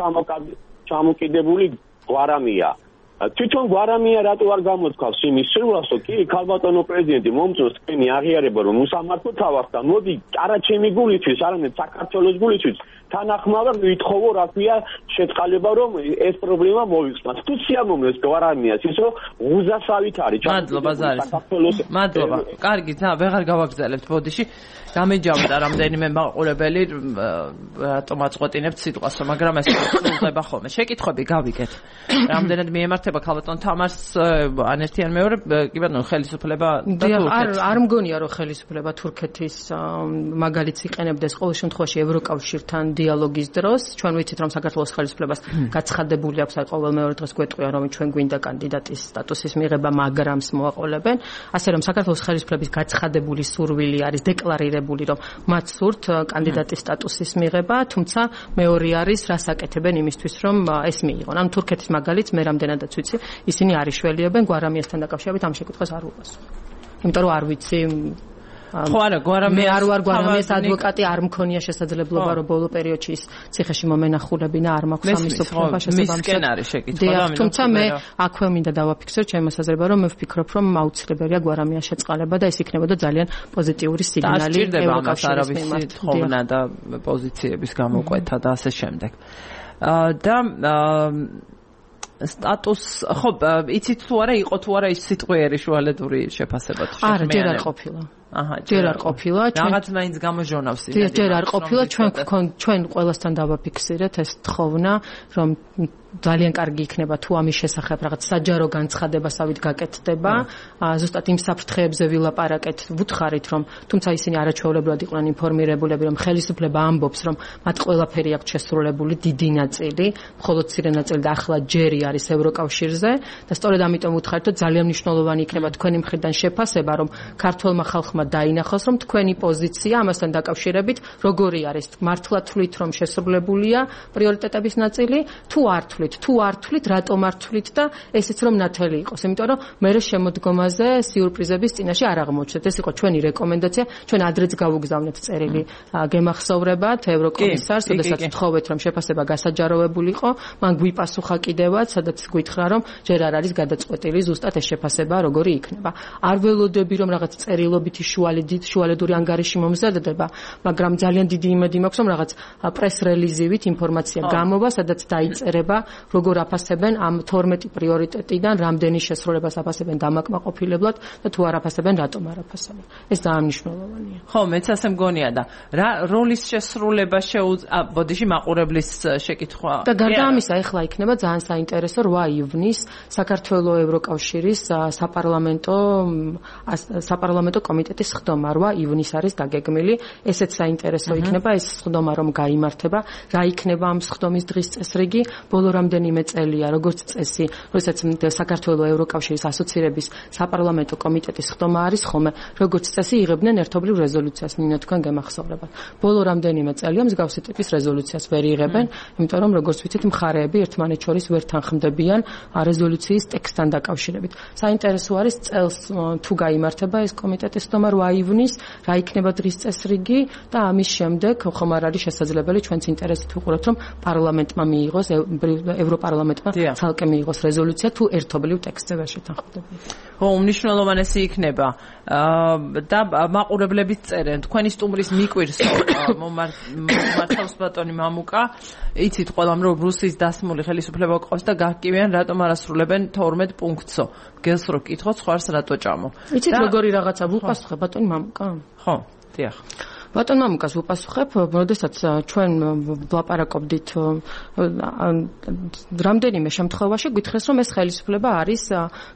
ჩამოკიდებული გვარამია. თვითონ გვარამია რატო არ გამოთქვავს იმის სრულას, კი, ქალბატონო პრეზიდენტი მომწონს თქვენი აღიარება, რომ უსამართლო თავასთან მოდი არა ჩემი გულისთვის, არამედ საქართველოს გულისთვის თანახმავად ვითხოვო, რა ქვია, შეწყალება, რომ ეს პრობლემა მოიხსნას. თუ სიამოვნებს გვარამიას ის, რომ ღუზასავით არის. მადლობა ზარის. მადლობა. კარგი, ვეღარ გავაგრძელებთ ბოდიში. გამეჯავდა რამდენიმე მაყურებელი რატომ აწყვეტინებთ სიტყვას, მაგრამ ეს სრულდება ხოლმე. შეკითხვები გავიგეთ. რამდენად მიემართება ქალბატონ თამარს ან ერთიან მეორე, კი ბატონო, ხელისუფლება და თურქეთი. არ მგონია, რომ ხელისუფლება თურქეთის მაგალითს იყენებდეს ყოველ შემთხვევაში ევროკავშირთან დიალოგის დროს ჩვენ ვიცით რომ საქართველოს ხელისუფლებას გაცხადებული აქვს ყოველ მეორე დღეს გვეტყვიან რომ ჩვენ გვინდა კანდიდატის სტატუსის მიღება მაგრამ მოაყოლებენ ასე რომ საქართველოს ხელისუფლების გაცხადებული სურვილი არის დეკლარირებული რომ მათ სურთ კანდიდატის სტატუსის მიღება თუმცა მეორე არის რას აკეთებენ იმისთვის რომ ეს მიიღონ ანუ თურქეთის მაგალითს მე რამდენადაც ვიცი ისინი არ იშველიებენ გვარამიასთან დაკავშირებით ამ შეკითხვას არ უყასო იმიტომ რომ არ ვიცი ხო არა გვარამი მე არ ვარ გვარამის ადვოკატი არ მქონია შესაძლებლობა რომ ბოლო პერიოდში ის ციხეში მომენახულებინა არ მაქვს ამის უფლება შესაბამისად არის შეკითხვა თუმცა მე აქვე მინდა დავაფიქსო ჩემი მოსაზრება რომ მე ვფიქრობ რომ აუცილებელია გვარამია შეწყალება და ეს იქნებოდა ძალიან პოზიტიური სიგნალი ევროკავშირის მიმართ თხოვნა და პოზიციების გამოკვეთა და ასე შემდეგ და სტატუს ხო იცით თუ არა იყო თუ არა ის სიტყვიერი შუალედური შეფასება თუ არა ჯერ არ ყოფილა ჯერ არ ყოფილა რაღაც მაინც გამოჟონავს ჯერ არ ყოფილა ჩვენ ყველასთან დავაფიქსირეთ ეს თხოვნა რომ ძალიან კარგი იქნება თუ ამის შესახებ რაღაც საჯარო განცხადებასავით გაკეთდება ზუსტად იმ საფრთხეებზე ვილაპარაკეთ ვუთხარით რომ თუმცა ისინი არაჩვეულებრივად იყვნენ ინფორმირებულები რომ ხელისუფლება ამბობს რომ მათ ყველაფერი აქვს შესრულებული დიდი ნაწილი მხოლოდ მცირე ნაწილი და ახლა ჯერი არის ევროკავშირზე და სწორედ ამიტომ ვუთხარით რომ ძალიან მნიშვნელოვანი იქნება თქვენი მხრიდან შეფასება რომ ქართულმა ხალხმა დაინახოს რომ თქვენი პოზიცია ამასთან დაკავშირებით როგორი არის მართლა თვლით რომ შესრულებულია პრიორიტეტების ნაწილი თუ არ თვლით რატომ არ თვლით და ესეც რომ ნათელი იყოს იმიტომ რომ მე შემოდგომაზე სიურპრიზების წინაშე არ აღმოჩნდეთ ეს იყო ჩვენი რეკომენდაცია ჩვენ ადრეც გავუგზავნეთ წერილი გემახსოვრებათ ევროკომისარს როდესაც ვთხოვეთ რომ შეფასება გასაჯაროვებულიყო მან გვიპასუხა კიდევაც სადაც გითხრა რომ ჯერ არ არის გადაწყვეტილი ზუსტად ეს შეფასება როგორი იქნება არ ველოდები რომ რაღაც წერილობითი შუალედური ანგარიში მომზადდება მაგრამ ძალიან დიდი იმედი მაქვს რომ რაღაც პრეს რელიზივით ინფორმაცია გამოვა სადაც დაიწერება როგორ აფასებენ ამ 12 პრიორიტეტიდან რამდენი შესრულებას აფასებენ დამაკმაყოფილებლად და თუ არ აფასებენ რატომ არ აფასებენ ეს ძალიან მნიშვნელოვანია ხო მეც ასე მგონია და რა როლის შესრულება ბოდიში მაყურებლის შეკითხვა და გარდა ამისა ეხლა იქნება ძალიან საინტერესო 8 ივნის საქართველოს ევროკავშირის საპარლამენტო კომიტეტის ხდომა 8 ივნის არის დაგეგმილი ესეც საინტერესო იქნება ეს ხდომა რომ გაიმართება რა იქნება ამ ხდომის დღის წესრიგი ბოლო რამდენიმე წელია როგორც წესი როდესაც საქართველოს ევროკავშირის ასოცირების საპარლამენტო კომიტეტის ხდომა არის ხოლმე როგორც წესი იღებდნენ ერთობლივ რეზოლუციას ნინო თქვენ გემახსოვრებათ ბოლო რამდენიმე წელია მსგავსი ტიპის რეზოლუციას ვერ იღებენ იმიტომ რომ როგორც ვიცით მხარეები ერთმანეთს შორის ვერ თანხმდებიან რეზოლუციის ტექსტთან დაკავშირებით საინტერესო არის წელს თუ გაიმართება ეს კომიტეტის ხდომა 8 ივნის რა იქნება დღის წესრიგი და ამის შემდეგ ხომ არ არის შესაძლებელი ჩვენც ინტერესით ვუყურებთ რომ პარლამენტმა მიიღოს ევროპარლამენტმა ცალკე მიიღოს რეზოლუცია თუ ერთობლივ ტექსტზე ვერ შეთანხმდებიან. ხო, უმნიშვნელოვანესი იქნება და მაყურებლებით წერენ თქვენი სტუმრის მიკვირს მართავს ბატონი მამუკა იცით ყველამ რომ რუსიის დასმული ხელისუფლება გვყავს და გაგკივიან რატომ არ ასრულებენ 12 პუნქტსო გელს რო კითხოთ სხვას რატო ჭამო იცით როგორი რაღაცა ვუპასუხებ ბატონი მამუკა ხო დიახ ბატონ მამუკას ვუპასუხებ, როდესაც ჩვენ ვლაპარაკობდით რამდენიმე შემთხვევაში გითხრეს რომ ეს ხელისუფლება არის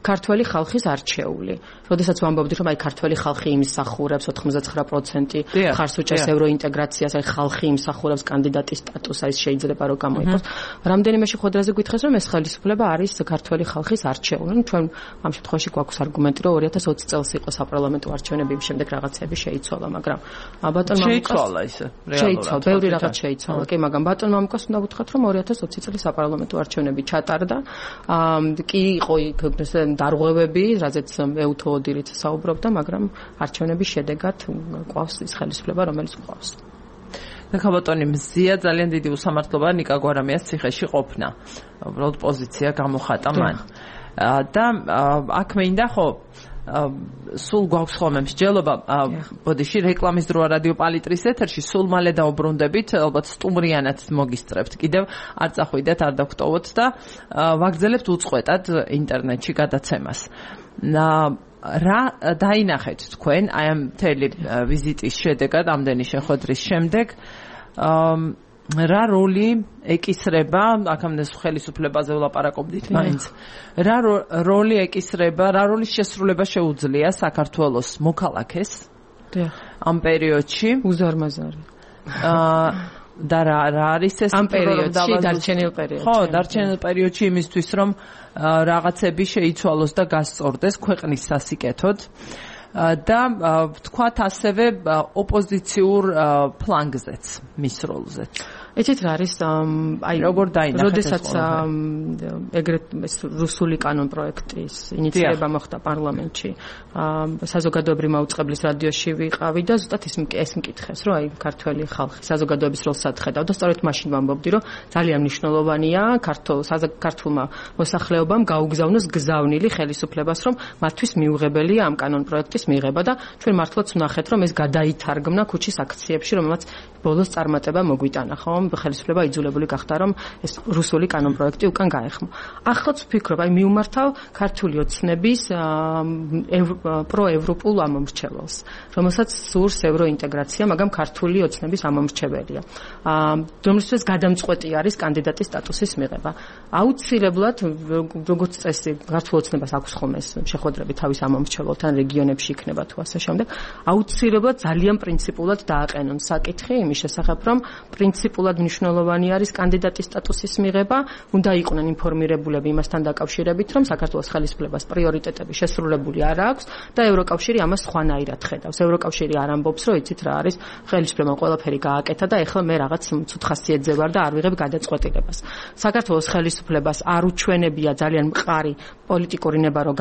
ქართველი ხალხის არჩეული. როდესაც ვამბობდით რომ აი ქართველი ხალხი იმსახურებს 99% ხარს უჭერს ევროინტეგრაციას, აი ხალხი იმსახურებს კანდიდატის სტატუსს, აი შეიძლება რომ გამოიყოს. რამდენიმე შეხვედრაზე გითხრეს რომ ეს ხელისუფლება არის ქართველი ხალხის არჩეული. ჩვენ ამ შემთხვევაში გვაქვს არგუმენტი რომ 2020 წელს იყო საპარლამენტო არჩევნები, იმ შემდეგ რაღაცები შეიცვალა, მაგრამ შეიცვალა ისე რეალურად. ბევრი რაღაც შეიცვალა. კი, მაგრამ ბატონ მამუკას უნდა ვუთხრათ, რომ 2020 წლის საპარლამენტო არჩევნები ჩატარდა. კი იყო იქ დარღვევები, რაზეც ეუთო ოდირიც საუბრობდა, მაგრამ არჩევნების შედეგად ყავს ის ხელისუფლება, რომელიც ყავს. ნახაბატონი მზია ძალიან დიდი უსამართლობა ნიკა გვარამიას ციხეში ყოფნა. უბრალოდ პოზიცია გამოხატა მან. და აქ მინდა ხო სულ გვაქვს ხოლმე მსჯელობა ბოდიში რეკლამის დროა რადიო პალიტრის ეთერში სულ მალე დაუბრუნდებით ალბათ სტუმრიანად მოგისწრებთ კიდევ არ წახვიდეთ არ დაგტოვოთ და ვაგრძელებთ უწყვეტად ინტერნეტში გადაცემას რა დაინახეთ თქვენ აი ამ მთელი ვიზიტის შედეგად ამდენი შეხვედრის შემდეგ რა როლი ეკისრება აქამდე ხელისუფლებაზე ვლაპარაკობდით მაინც რა როლი ეკისრება რა როლის შესრულება შეუძლია საქართველოს მოქალაქეს ამ პერიოდში უზარმაზარი და რა არის ეს ამ პერიოდში დარჩენილ პერიოდში. ხო, დარჩენილ პერიოდში იმისთვის რომ რაღაცები შეიცვალოს და გასწორდეს ქვეყნის სასიკეთოდ. და თქვათ ასევე ოპოზიციურ ფლანგზეც მის როლზეც. ეცეთ რა არის აი როგორ დაინახეთ როდესაც ეგრეთ რუსული კანონპროექტის ინიციირება მოხდა პარლამენტში საზოგადოებრივი მაუწყებლის რადიოში ვიყავი და ზუსტად ეს მკითხეს რომ აი ქართველი ხალხი საზოგადოების როლს ხედავ და სწორედ მაშინ ვამბობდი რომ ძალიან მნიშვნელოვანია ქართულმა მოსახლეობამ გაუგზავნოს გზავნილი ხელისუფლებას რომ მათთვის მიუღებელია ამ კანონპროექტის მიღება და ჩვენ მართლაც ვნახეთ რომ ეს გადაითარგმნა ქუჩის აქციებში რომელმაც ბოლოს წარმატება მოგვიტანა ხო ხელისუფლება იძულებული გახდა რომ ეს რუსული კანონპროექტი უკან გაეხმო. ახლაც ვფიქრობ, აი მივმართავ ქართული ოცნების პროევროპულ ამომრჩეველს, რომელსაც სურს ევროინტეგრაცია, მაგრამ ქართული ოცნების ამომრჩეველია. რომლისთვის გადამწყვეტი არის კანდიდატის სტატუსის მიღება. აუცილებლად, როგორც წესი, ქართულ ოცნებას აქვს ხოლმე შეხვედრები თავის ამომრჩეველთან რეგიონებში იქნება თუ ასე შემდეგ. აუცილებლად ძალიან პრინციპულად დააყენონ საკითხი იმის შესახებ, რომ პრინციპულად მნიშვნელოვანი არის კანდიდატის სტატუსის მიღება, უნდა იყვნენ ინფორმირებულები იმასთან დაკავშირებით, რომ საქართველოს ხელისუფლებას პრიორიტეტები შესრულებული არ აქვს და ევროკავშირი ამას სხვანაირად ხედავს. ევროკავშირი არ ამბობს, რომ იცით რა არის, ხელისუფლებამ ყველაფერი გააკეთა და ეხლა მე რაღაც ცუდ ხასიათზე ვარ და არ ვიღებ გადაწყვეტილებას. საქართველოს ხელისუფლებას არ უჩვენებია ძალიან მყარი პოლიტიკური ნება, რომ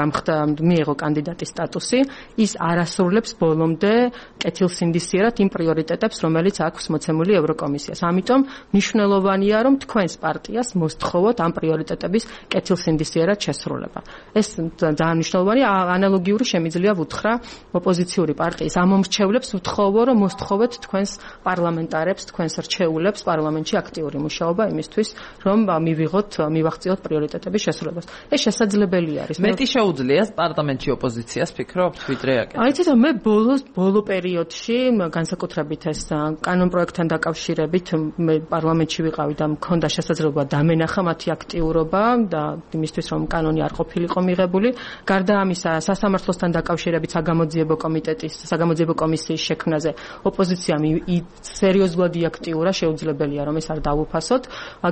მიიღო კანდიდატის სტატუსი, ის არასრულებს ბოლომდე კეთილსინდისიერად იმ პრიორიტეტებს, რომელიც აქვს მოცემული ევროკომისიას. ამიტომ მნიშვნელოვანია რომ თქვენს პარტიას მოსთხოვოთ ამ პრიორიტეტების კეთილსინდისიერად შესრულება. ეს ძალიან მნიშვნელოვანია, ანალოგიური შემიძლია ვუთხრა ოპოზიციური პარტიის ამომრჩევლებს ვთხოვო რომ მოსთხოვეთ თქვენს პარლამენტარებს, თქვენს რჩეულებს პარლამენტში აქტიური მუშაობა იმისთვის რომ მივაღწიოთ პრიორიტეტების შესრულებას. ეს შესაძლებელი არის. მეტი შეუძლია პარლამენტში ოპოზიციას ფიქრობთ ვიდრე აკეთებს. აი ცოტა მე ბოლო პერიოდში განსაკუთრებით ეს კანონპროექტთან დაკავშირებით მე პარლამენტში ვიყავი და მქონდა შესაძლებლობა დამენახა მათი აქტიურობა და იმისთვის რომ კანონი არ ყოფილიყო მიღებული. გარდა ამისა, სასამართლოსთან დაკავშირებით საგამოძიებო კომისიის შექმნაზე ოპოზიციამ სერიოზულად იაქტიურა, შეუძლებელია რომ ეს არ დაუფასოთ.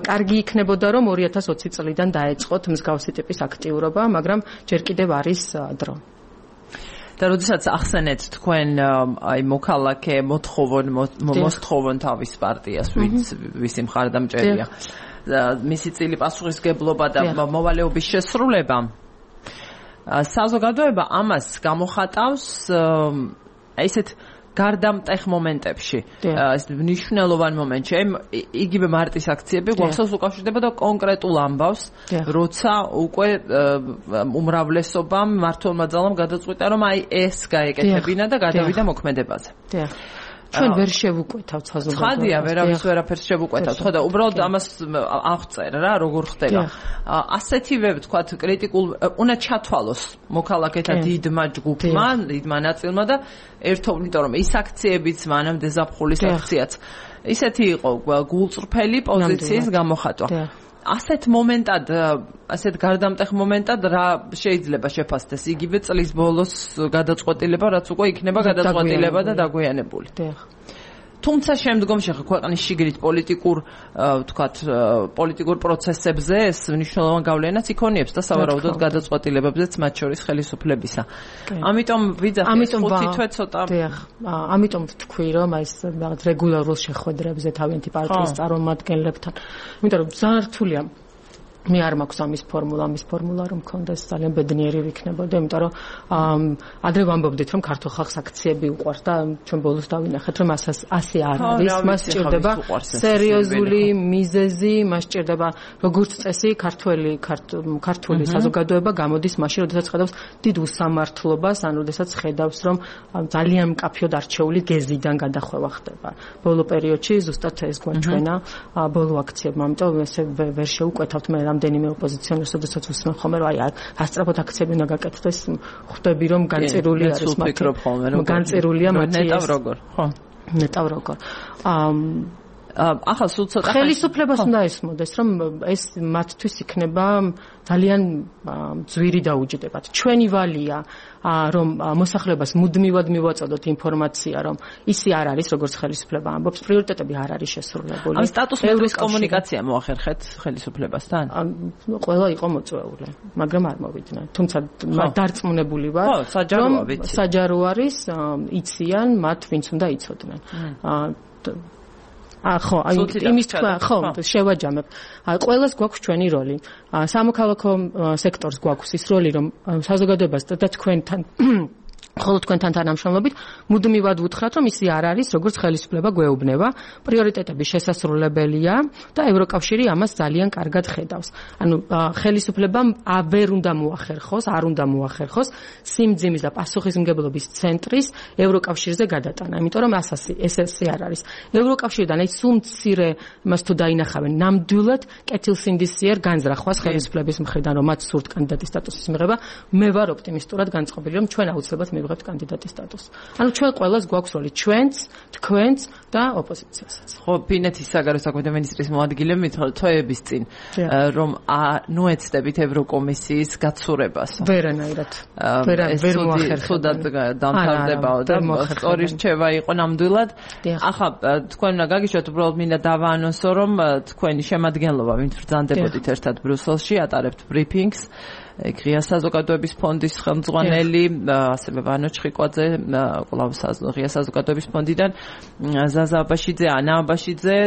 კარგი იქნებოდა რომ 2020 წლიდან დაეწყოთ მსგავსი ტიპის აქტიურობა, მაგრამ ჯერ კიდევ არის დრო. და როდესაც ახსენეთ თქვენ აი მოქალაქე მოსთხოვონ თავის პარტიას ვისი მხარდამჭერია მისი წილი პასუხისგებლობა და მოვალეობის შესრულება საზოგადოება ამას გამოხატავს ესეთ გარდამტეხ მომენტებში ეს მნიშვნელოვან მომენტში იგივე მარტის აქციები გვახსოვს უკავშირდებოდა კონკრეტულ ამბავს როცა უკვე უმრავლესობამ მართლმა ძალამ გადაწყვიტა რომ აი ეს გაეკეთებინა და გადავიდა მოქმედებაზე ჩვენ ვერ შევუკვეთავთ საზოგადოებას. ხადია, ვერაფერს შევუკვეთავთ. ხო და უბრალოდ ამას აღწერ რა, როგორ ხდება. ასეთივე ვთქვათ კრიტიკულ უნდა ჩათვალოს მოქალაქეთა დიდმა ჯგუფმა, დიდმა ნაწილმა და ერთობლივ, იმიტომ რომ ის აქციებიც, მანამდე ზაფხულის აქციაც ისეთი იყო გულწრფელი პოზიციის გამოხატვა. ასეთ მომენტად, ასეთ გარდამტეხ მომენტად რა შეიძლება შეფასდეს იგივე წლის ბოლოს გადაწყვეტილება, რაც უკვე იქნება გადაწყვეტილება და დაგვიანებული. თუმცა შემდგომში ქვეყნის შიგნით პოლიტიკურ პროცესებზე ეს მნიშვნელოვან გავლენას იქონიებს და სავარაუდოდ გადაწყვეტილებებზეც მათ შორის ხელისუფლებისა. ამიტომ ვიძახით 5 თვე ცოტა. ამიტომ ვთქვი რომ აი ეს რაღაც რეგულარულ შეხვედრებზე თავიანთი პარტიის წარმომადგენლებთან. იმიტომ რომ ძალიან რთულია მე არ მაქვს ამის ფორმულა რომ მქონდეს ძალიან ბედნიერი ვიქნებოდა, იმიტომ რომ ადრე ვამბობდით რომ ქართულ ხალხს აქციები უყვარს და ჩვენ ბოლოს დავინახეთ რომ ასე არ არის, მას სჭირდება სერიოზული მიზეზი, მას სჭირდება როგორც წესი ქართული საზოგადოება გამოდის მაშინ, როდესაც ხედავს დიდ უსამართლობას, ან როდესაც ხედავს რომ ძალიან მკაფიოდ არჩეული გეზიდან გადახვევა ხდება. ბოლო პერიოდში ზუსტად ეს გვაჩვენა ბოლო აქციებმა, ამიტომ ესე ვერ შევუკვეთავთ მე რამდენიმე ოპოზიციონერს, როდესაც უსმენ ხოლმე რომ აი ასწრაფოდ აქციები უნდა გაკეთდეს, ხვდები რომ განწირული არის მათი. განწირულია მათი. ნეტავ როგორ. ხო. ნეტავ როგორ. ახლა სულ ცოტა ხელისუფლებას უნდა ესმოდეს, რომ ეს მათთვის იქნება ძალიან ძვირი დაუჯდებათ. ჩვენი ვალია, რომ მოსახლეობას მუდმივად მივაწოდოთ ინფორმაცია, რომ ისი არ არის, როგორც ხელისუფლება ამბობს, პრიორიტეტები არ არის შესრულებული. ამ სტატუსმეტრის კომუნიკაცია მოახერხეთ ხელისუფლებასთან? ყველა იყო მოწვეული, მაგრამ არ მოვიდნენ. თუმცა დარწმუნებული ვარ, რომ საჯარო არის, იციან მათ, ვინც უნდა იცოდნენ. ხო, აი იმის თქვა, ხო, შევაჯამებ. აი ყველას გვაქვს ჩვენი როლი. სამოქალაქო სექტორს გვაქვს ის როლი, რომ საზოგადოებას და თქვენთან ხოლო თქვენთან თანამშრომლობით მუდმივად ვუთხრათ, რომ ისი არ არის, როგორც ხელისუფლება გვეუბნება, პრიორიტეტები შესასრულებელია და ევროკავშირი ამას ძალიან კარგად ხედავს. ანუ ხელისუფლებამ ვერ უნდა მოახერხოს, არ უნდა მოახერხოს სიმძიმის და პასუხისმგებლობის ცენტრის ევროკავშირზე გადატანა, იმიტომ რომ ესე არ არის. ევროკავშირიდან აი სულ მცირე იმას თუ დაინახავენ, ნამდვილად კეთილსინდისიერ განზრახვას ხელისუფლების მხრიდან, რომ მათ სურთ კანდიდატის სტატუსის მიღება, მე ვარ ოპტიმისტურად განწყობილი, რომ ჩვენ აუცილებლად მივიღებთ კანდიდატის სტატუსს. ანუ ჩვენ ყველას გვაქვს როლი, ჩვენც, თქვენც და ოპოზიციასაც. ხო, ფინეთის საგარეო საქმეთა მინისტრის მოადგილე თვეების წინ, რომ ნუეცდებით ევროკომისიის გაცურებას. ვერანაირად. ვერ მოახერხებდა. დამთავრდებაო და სწორი რჩევა იყო ნამდვილად. ახლა თქვენ უნდა გაგიშვათ, უბრალოდ მინდა დავაანონსო, რომ თქვენი შემადგენლობა, ვინც ბრძანდებოდით ერთად ბრიუსელში, ატარებთ ბრიფინგს. ღია საზოგადოების ფონდის ხელმძღვანელი, ასევე ვანო ჩხიკვაძე, კვლავ ღია საზოგადოების ფონდიდან, ზაზა აბაშიძე, ანა აბაშიძე,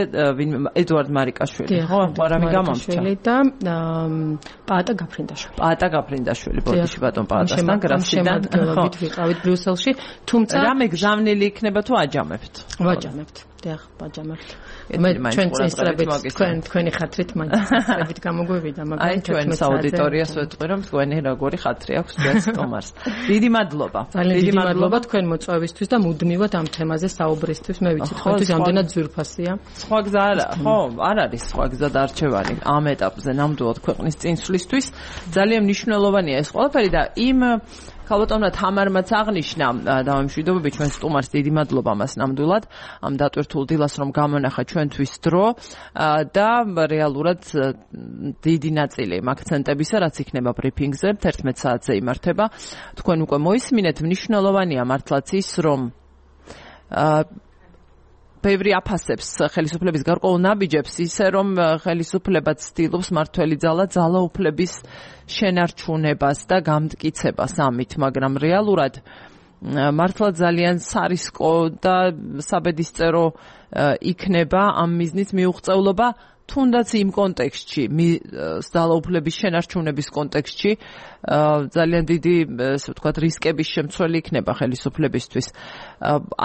ედუარდ მარიკაშვილი, ხო, რამე გამომჩა და პაატა გაფრინდაშვილი. პაატა გაფრინდაშვილი, ბოდიში ბატონ პაატასთან გრასიდან ვიყავით ბრიუსელში, თუმცა რამე გზავნილი იქნება თუ აჯამებთ? ვაჯამებთ. დიახ, ვაჯამებთ. მე ჩვენ წესრებით თქვენი ხათრით მაინც წესრებით გამოგვივიდა, მაგრამ აი ჩვენ საუდიტორიას ვეთქვი, რომ თქვენი როგორი ხათრი აქვს ჩვენს სტომარს. დიდი მადლობა. დიდი მადლობა თქვენ მოწვევისთვის და მუდმივად ამ თემაზე საუბრისთვის. მე ვიცი თქვენთვის ამდენად ძვირფასია. სხვა გზა ხო, არ არის სხვა გზა დარჩევანი ამ ეტაპზე ნამდვილად ქვეყნის წინსვლისთვის. ძალიან მნიშვნელოვანია ეს ყველაფერი და იმ ქალბატონმა თამარმაც აღნიშნა დავამშვიდობები ჩვენ სტუმარს დიდი მადლობა მას ნამდვილად ამ დატვირთულ დილას რომ გამონახა ჩვენთვის დრო და რეალურად დიდი ნაწილი იმ აქცენტებისა რაც იქნება ბრიფინგზე 11 საათზე იმართება თქვენ უკვე მოისმინეთ მნიშვნელოვანია მართლაც ის რომ ბევრი აფასებს ხელისუფლების გარკვეულ ნაბიჯებს ისე რომ ხელისუფლება ცდილობს მართველი ძალაუფლების შენარჩუნებას და გამტკიცებას ამით, მაგრამ რეალურად მართლა ძალიან სარისკო და საბედისწერო იქნება ამ მიზნის მიუღწევლობა თუნდაც იმ კონტექსტში, ძალაუფლების შენარჩუნების კონტექსტში ძალიან დიდი, ასე ვთქვათ, რისკების შემცველი იქნება ხელისუფლებისთვის.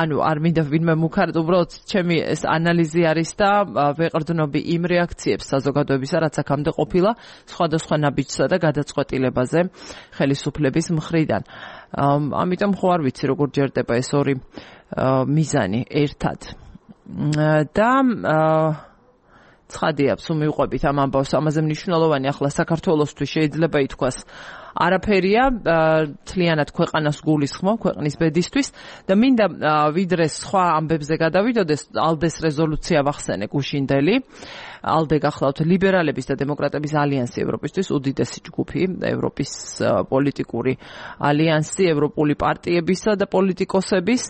ანუ არ მინდა ვინმე მუქარდ, უბრალოდ ჩემი ეს ანალიზი არის და ვეყრდნობი იმ რეაქციებს საზოგადოებისა, რაც აქამდე ყოფილა სხვადასხვა ნაბიჯსა და გადაწყვეტილებაზე ხელისუფლების მხრიდან. ამიტომ ხო არ ვიცი, როგორ ჯერდება ეს ორი მიზანი ერთად. და ცხადია, თუ მივყვებით ამ ამბავს, ამაზე მნიშვნელოვანი ახლა საქართველოსთვის შეიძლება ითქვას არაფერია, თლიანად ქვეყანას გულისხმო, ქვეყნის ბედისთვის და მინდა ვიდრე სხვა ამბებზე გადავიდოდეს, ალდეს რეზოლუცია ვახსენე გუშინდელი. ალდე გახლავთ ლიბერალების და დემოკრატების ალიანსი ევროპისთვის, უდიდესი ჯგუფი, ევროპის პოლიტიკური ალიანსი, ევროპული პარტიებისა და პოლიტიკოსების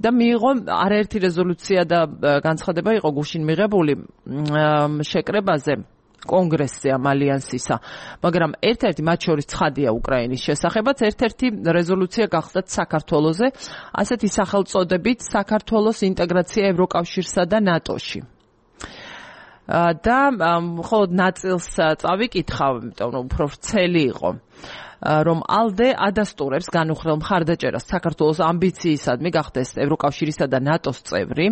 და მიიღო არაერთი რეზოლუცია და განცხადება იყო გუშინ მიღებული შეკრებაზე კონგრესზე ამ ალიანსისა, მაგრამ ერთ-ერთი მათ შორის ცხადია უკრაინის შესახებაც, ერთ-ერთი რეზოლუცია გახდათ საქართველოზე, ასეთი სახელწოდებით საქართველოს ინტეგრაცია ევროკავშირსა და ნატოში. და მხოლოდ ნაწილს წავიკითხავ, იმიტომ რომ უფრო ვრცელი იყო, რომ ალდე ადასტურებს განუხრელ მხარდაჭერას საქართველოს ამბიციისადმი გახდეს ევროკავშირისა და ნატოს წევრი.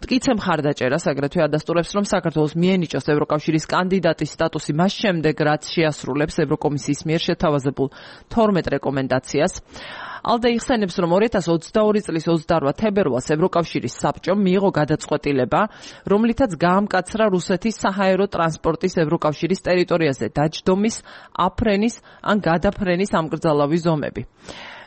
მტკიცე მხარდაჭერას აგრეთვე ადასტურებს, რომ საქართველოს მიენიჭოს ევროკავშირის კანდიდატის სტატუსი მას შემდეგ, რაც შეასრულებს ევროკომისიის მიერ შეთავაზებულ 12 რეკომენდაციას. ალდე იხსენებს, რომ 2022 წლის 28 თებერვალს ევროკავშირის საბჭომ მიიღო გადაწყვეტილება, რომლითაც გაამკაცრა რუსეთის საჰაერო ტრანსპორტის ევროკავშირის ტერიტორიაზე დაჯდომის, აფრენის ან გადაფრენის ამკრძალავი ზომები.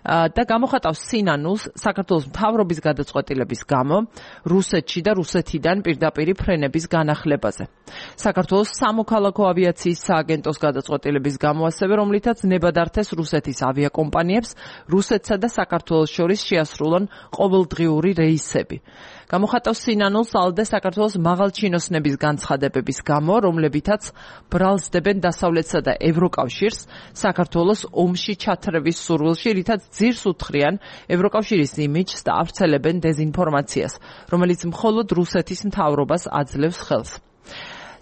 და გამოხატავს სინანულს საქართველოს მთავრობის გადაწყვეტილების გამო რუსეთში და რუსეთიდან პირდაპირი ფრენების განახლებაზე. საქართველოს სამოქალაქო ავიაციის სააგენტოს გადაწყვეტილების გამო ასევე, რომლითაც ნებადართეს რუსეთის ავიაკომპანიებს რუსეთსა და საქართველოს შორის შეასრულონ ყოველდღიური რეისები. გამოხატავს სინანულს ალდე საქართველოს მაღალჩინოსნების განცხადებების გამო, რომლებითაც ბრალსდებენ დასავლეთსა და ევროკავშირს საქართველოს ომში ჩათრევის სურვილში, რითაც ძირს უთხრიან ევროკავშირის იმიჯს და ავრცელებენ დეზინფორმაციას, რომელიც მხოლოდ რუსეთის მთავრობას აძლევს ხელს.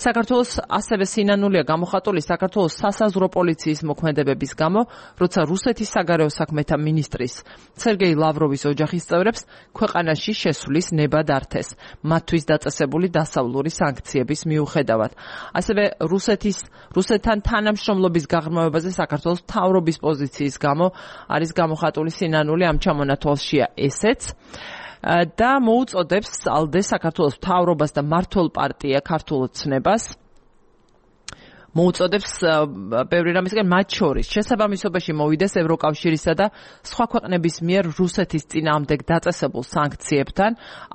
საქართველოს ასევე სინანულია გამოხატული საქართველოს სასაზღვრო პოლიციის მოქმედებების გამო, როცა რუსეთის საგარეო საქმეთა მინისტრის სერგეი ლავროვის ოჯახის წევრებს ქვეყანაში შესვლის ნება დართეს, მათთვის დაწესებული დასავლური სანქციების მიუხედავად. ასევე რუსეთთან თანამშრომლობის გაღრმავებაზე საქართველოს მთავრობის პოზიციის გამო არის გამოხატული სინანული, ამ ჩამონათვალშია ესეც. და მოუწოდებს ალდე საქართველოს მთავრობას და მმართველ პარტია ქართულ ცნებას მოუწოდებს ბევრი რამისგან, მათ შორის შესაბამისობაში მოვიდეს ევროკავშირისა და სხვა ქვეყნების მიერ რუსეთის წინააღმდეგ დაწესებულ სანქციებთან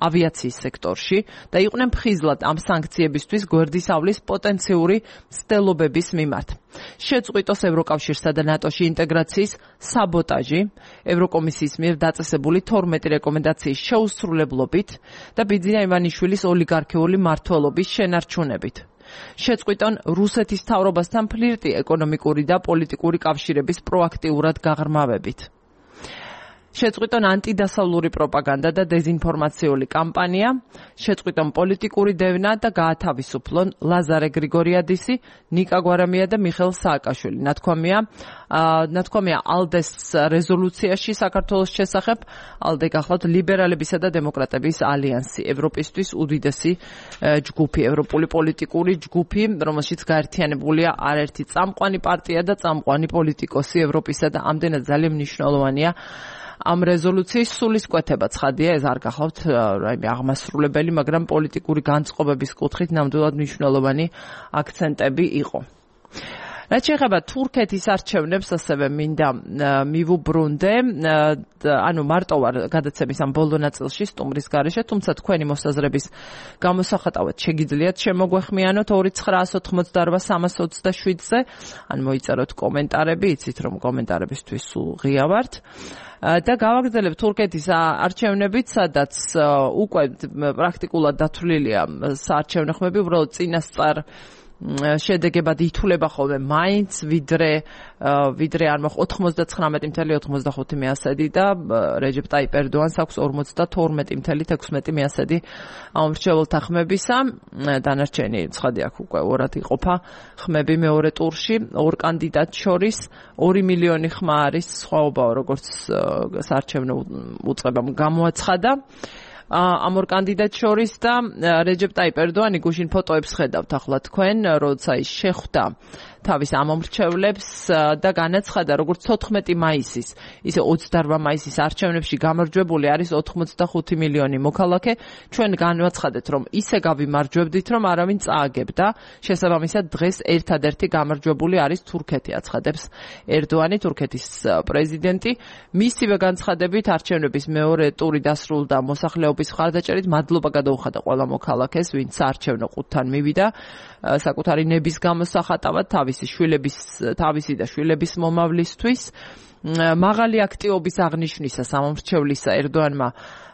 ავიაციის სექტორში და იყვნენ ფხიზლად ამ სანქციებისთვის გვერდისავლის პოტენციური მცდელობების მიმართ. შეწყვიტოს ევროკავშირსა და ნატოში ინტეგრაციის საბოტაჟი ევროკომისიის მიერ დაწესებული 12 რეკომენდაციის შეუსრულებლობით და ბიძინა ივანიშვილის ოლიგარქიული მმართველობის შენარჩუნებით. შეწყვიტონ რუსეთის მთავრობასთან ფლირტი ეკონომიკური და პოლიტიკური კავშირების პროაქტიურად გაღრმავებით. შეწყვიტონ ანტიდასავლური პროპაგანდა და დეზინფორმაციული კამპანია, შეწყვიტონ პოლიტიკური დევნა და გაათავისუფლონ ლაზარე გრიგორიადისი, ნიკა გვარამია და მიხეილ სააკაშვილი. ნათქვამია ალდეს რეზოლუციაში საქართველოს შესახებ. ალდე გახლავთ ლიბერალებისა და დემოკრატების ალიანსი, ევროპისთვის უდიდესი ჯგუფი, ევროპული პოლიტიკური ჯგუფი, რომელშიც გაერთიანებულია არაერთი წამყვანი პარტია და წამყვანი პოლიტიკოსი ევროპისა და ამდენად ძალიან მნიშვნელოვანია ამ რეზოლუციის სულისკვეთება. ცხადია, ეს არ გახლავთ აღმასრულებელი, მაგრამ პოლიტიკური განწყობების კუთხით ნამდვილად მნიშვნელოვანი აქცენტები იყო. რაც შეეხება თურქეთის არჩევნებს, ასევე მინდა მივუბრუნდე, ანუ მარტო ვარ გადაცემის ამ ბოლო ნაწილში სტუმრის გარეშე, თუმცა თქვენი მოსაზრების გამოსახატავად შეგიძლიათ შემოგვეხმიანოთ 2988-327-ზე, ან მოიწეროთ კომენტარები, იცით რომ კომენტარებისთვის სულ ღია ვართ. და გავაგრძელებ თურქეთის არჩევნებით, სადაც უკვე პრაქტიკულად დათვლილია საარჩევნო ხმები, უბრალოდ წინასწარ შედეგებად ითვლება ხოლმე მაინც ვიდრე არ მოხ 99.95% და რეჯეპ ტაიპ ერდოანს აქვს 52.16% ამომრჩეველთა ხმებისა. დანარჩენი ცხადი აქ უკვე ორად იყოფა ხმები მეორე ტურში, ორ კანდიდატ შორის 2 მილიონი ხმა არის სხვაობაო, როგორც საარჩევნო უწყებამ გამოაცხადა. ამ ორ კანდიდატ შორის და რეჯეპ ტაიპ ერდოანი გუშინ ფოტოებს ხედავთ ახლა თქვენ, როცა ის შეხვდა თავის ამომრჩევლებს და განაცხადა, როგორც 14 მაისის, ისე 28 მაისის არჩევნებში გამარჯვებული არის 85 მილიონი მოქალაქე. ჩვენ განვაცხადეთ, რომ ისე გავიმარჯვებდით, რომ არავინ წააგებდა. შესაბამისად, დღეს ერთადერთი გამარჯვებული არის თურქეთი, აცხადებს ერდოანი, თურქეთის პრეზიდენტი. მისივე განცხადებით, არჩევნების მეორე ტური დასრულდა მოსახლეობის მხარდაჭერით. მადლობა გადაუხადა ყველა მოქალაქეს, ვინც საარჩევნო ყუთთან მივიდა, საკუთარი ნების გამოსახატავად თავისი და შვილების მომავლისთვის. მაღალი აქტივობის აღნიშვნისას ამომრჩევლისა ერდოანმა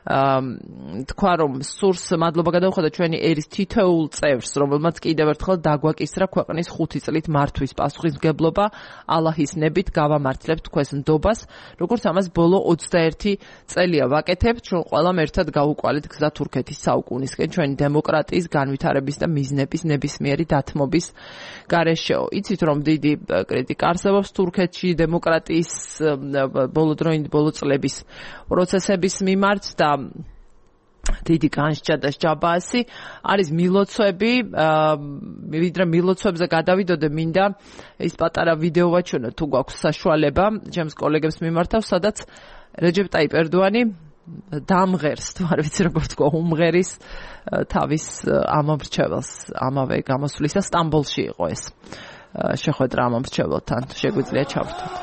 თქვა, რომ სურს მადლობა გადაუხადა ჩვენი ერის თითოეულ წევრს, რომელმაც კიდევ ერთხელ დაგვაკისრა ქვეყნის 5 წლით მართვის პასუხისმგებლობა. ალაჰის ნებით გავამართლებთ თქვენს ნდობას, როგორც ამას ბოლო 21 წელია ვაკეთებთ. ჩვენ ყველამ ერთად გავუყვალეთ გზა თურქეთის საუკუნისკენ, ჩვენი დემოკრატიის განვითარების და მიზნების ნებისმიერი დათმობის გარეშეო. იცით რომ დიდი კრიტიკა არსებობს თურქეთში დემოკრატიის ბოლო წლების პროცესების მიმართ და დიდი განსჯა და ჯაბაასი არის მილოცვები. ვიდრე მილოცვებზე გადავიდოდე, მინდა ის პატარა ვიდეო ვაჩვენო, თუ გვაქვს საშუალება, ჩემს კოლეგებს მიმართავ, სადაც რეჯეპ ტაიპ ერდოანი დამღერს, თუ არ ვიცი როგორ თქვა, უმღერის თავის ამომრჩეველს ამავე გამოსვლისა. სტამბოლში იყო ეს შეხვედრა ამომრჩეველთან, შეგვიძლია ჩავრთოთ.